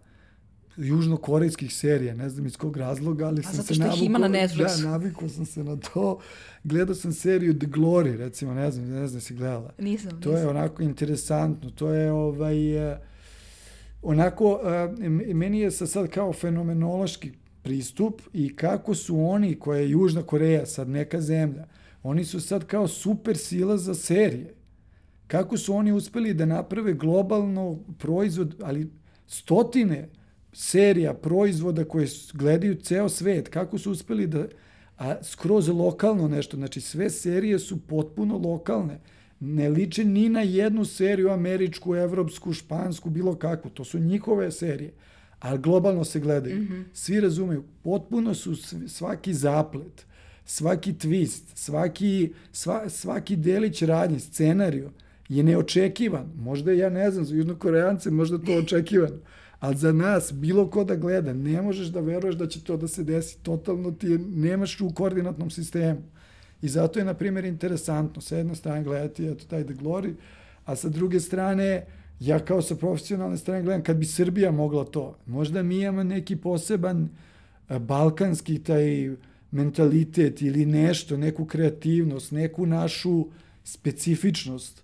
južnokorejskih serija, ne znam iz kog razloga, ali sam se navikao... ima na Netflixu. Da, navikao sam se na to. Gledao sam seriju The Glory, recimo, ne znam, ne znam si gledala. Nisam, to nisam. je onako interesantno, to je ovaj... Onako, meni je sad kao fenomenološki pristup i kako su oni, koja je Južna Koreja, sad neka zemlja, oni su sad kao super sila za serije. Kako su oni uspeli da naprave globalno proizvod, ali stotine serija, proizvoda koje gledaju ceo svet, kako su uspeli da, a skroz lokalno nešto, znači sve serije su potpuno lokalne, ne liče ni na jednu seriju američku, evropsku, špansku, bilo kakvu, to su njihove serije, ali globalno se gledaju. Mm-hmm. Svi razumeju, potpuno su svaki zaplet, svaki twist, svaki, sva, svaki delić radnje, scenariju je neočekivan. Možda, ja ne znam, za Južnokorejance možda to očekivano. Ali za nas, bilo ko da gleda, ne možeš da veruješ da će to da se desi. Totalno ti je, nemaš u koordinatnom sistemu. I zato je, na primjer, interesantno sa jedne strane gledati eto, taj The Glory, a sa druge strane, ja kao sa profesionalne strane gledam, kad bi Srbija mogla to, možda mi imamo neki poseban a, balkanski taj mentalitet ili nešto, neku kreativnost, neku našu specifičnost,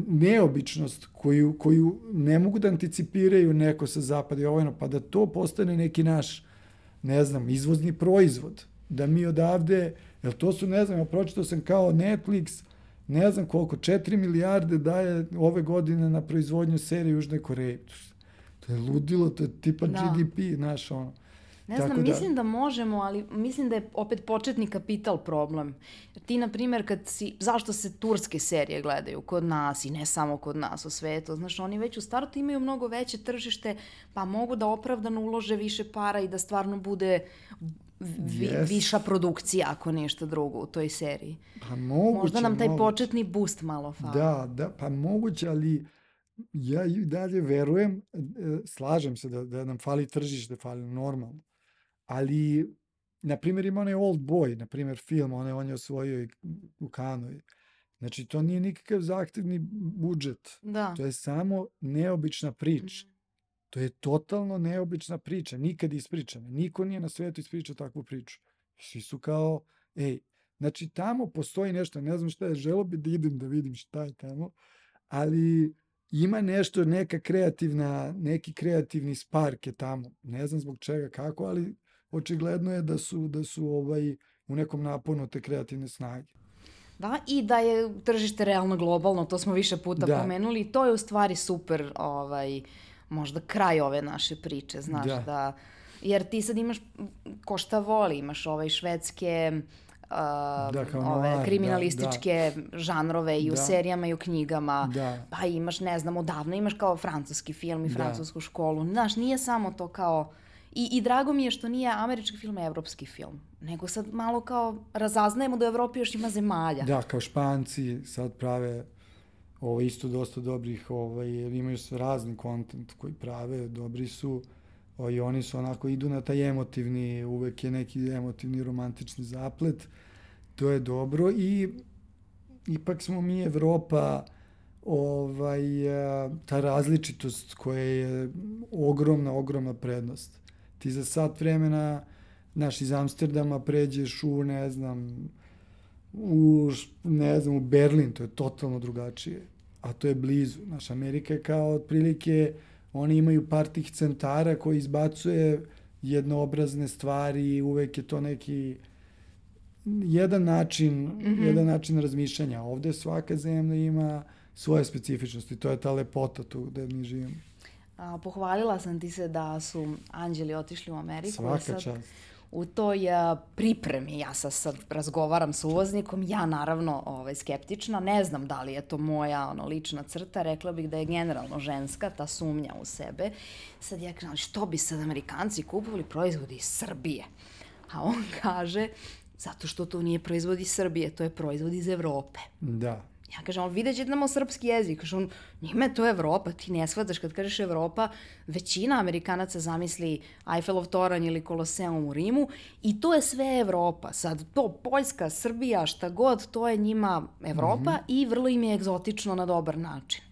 neobičnost koju, koju ne mogu da anticipiraju neko sa zapada i ovojno, pa da to postane neki naš, ne znam, izvozni proizvod. Da mi odavde, jer to su, ne znam, ja pročitao sam kao Netflix, ne znam koliko, četiri milijarde daje ove godine na proizvodnju serije Južne Koreje. To je ludilo, to je tipa da. G D P, znaš, ono. Ne znam, da, mislim da možemo, ali mislim da je opet početni kapital problem. Ti, na primjer, kad si, zašto se turske serije gledaju kod nas i ne samo kod nas u svetu, znaš, oni već u startu imaju mnogo veće tržište, pa mogu da opravdano ulože više para i da stvarno bude vi, yes. viša produkcija, ako nešto drugo, u toj seriji. Pa moguće, možda nam taj moguće. početni boost malo fali. Da, da, pa moguće, ali ja i dalje verujem, e, slažem se da, da nam fali tržište, fali normalno, ali, na primjer, ima onaj Old Boy, na primjer, film, onaj, on je osvojio i u Kanu. Znači, to nije nikakav zahtevni budžet. Da. To je samo neobična priča. To je totalno neobična priča, nikad ispričana. Niko nije na svetu ispričao takvu priču. Svi su kao, ej, znači tamo postoji nešto, ne znam šta je, želo bi da idem da vidim šta je tamo, ali ima nešto, neka kreativna, neki kreativni spark je tamo. Ne znam zbog čega, kako, ali očigledno je da su, da su ovaj, u nekom naponu te kreativne snage. Da, i da je tržište realno globalno, to smo više puta Da. pomenuli, i to je u stvari super, ovaj, možda kraj ove naše priče, znaš, Da. da, jer ti sad imaš, ko šta voli, imaš ovaj švedske, uh, Da, kao ove noir, kriminalističke žanrove i u Da. serijama i u knjigama, Da. pa imaš, ne znam, odavno imaš kao francuski film i Da. francusku školu, znaš, nije samo to kao. I, I drago mi je što nije američki film, evropski film, nego sad malo kao razaznajemo da u Evropi još ima zemalja. Da, kao Španci sad prave ovo isto dosta dobrih, ovaj, imaju sve razni kontent koji prave, dobri su, o, i oni su onako, idu na taj emotivni, uvek je neki emotivni romantični zaplet, to je dobro i ipak smo mi Evropa, ovaj, a, ta različitost koja je ogromna, ogromna prednost. Ti za sat vremena, znaš, iz Amsterdama pređeš u, ne znam, u, ne znam, u Berlin, to je totalno drugačije, a to je blizu. Naš Amerika je kao otprilike, oni imaju par tih centara koji izbacuje jednoobrazne stvari, uvek je to neki jedan način, mm-hmm. jedan način razmišljanja. Ovde svaka zemlja ima svoje specifičnosti, to je ta lepota tu gde mi živimo. A, pohvalila sam ti se da su anđeli otišli u Ameriku. Svaka sad, čast. U toj a, pripremi, ja sad, sad razgovaram sa uvoznikom, ja naravno ovaj, skeptična, ne znam da li je to moja ono, lična crta, rekla bih da je generalno ženska, ta sumnja u sebe. Sad ja kažem, što bi sad Amerikanci kupovali proizvodi iz Srbije? A on kaže, zato što to nije proizvod iz Srbije, to je proizvod iz Evrope. Da. Ja kažem, ali vidjet ćete nam o srpski jezik. Kažem, on, njima je to Evropa, ti ne shvataš kad kažeš Evropa, većina Amerikanaca zamisli Eiffelov toranj ili Koloseum u Rimu i to je sve Evropa. Sad, to Poljska, Srbija, šta god, to je njima Evropa mm-hmm. i vrlo im je egzotično na dobar način.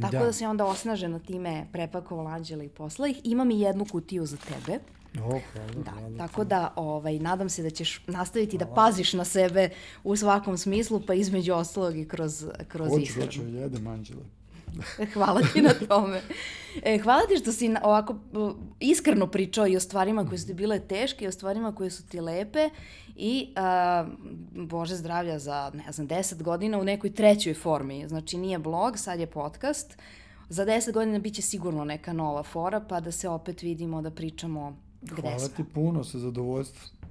Tako da, da se onda osnaženo time prepakovala Anđela i posla ih. Imam i jednu kutiju za tebe. O, hvala, da, hvala. tako da ovaj, nadam se da ćeš nastaviti hvala. Da paziš na sebe u svakom smislu, pa između ostalog i kroz, kroz hoću, ishranu. Hoću, hoću, jedem Anđele. Hvala ti na tome. E, hvala ti što si ovako iskreno pričao i o stvarima koje su ti bile teške i o stvarima koje su ti lepe i a, Bože zdravlja za, ne znam, deset godina u nekoj trećoj formi. Znači nije blog, sad je podcast. Za deset godina bit će sigurno neka nova fora, pa da se opet vidimo, da pričamo gde smo. Hvala ti puno, sa zadovoljstvom.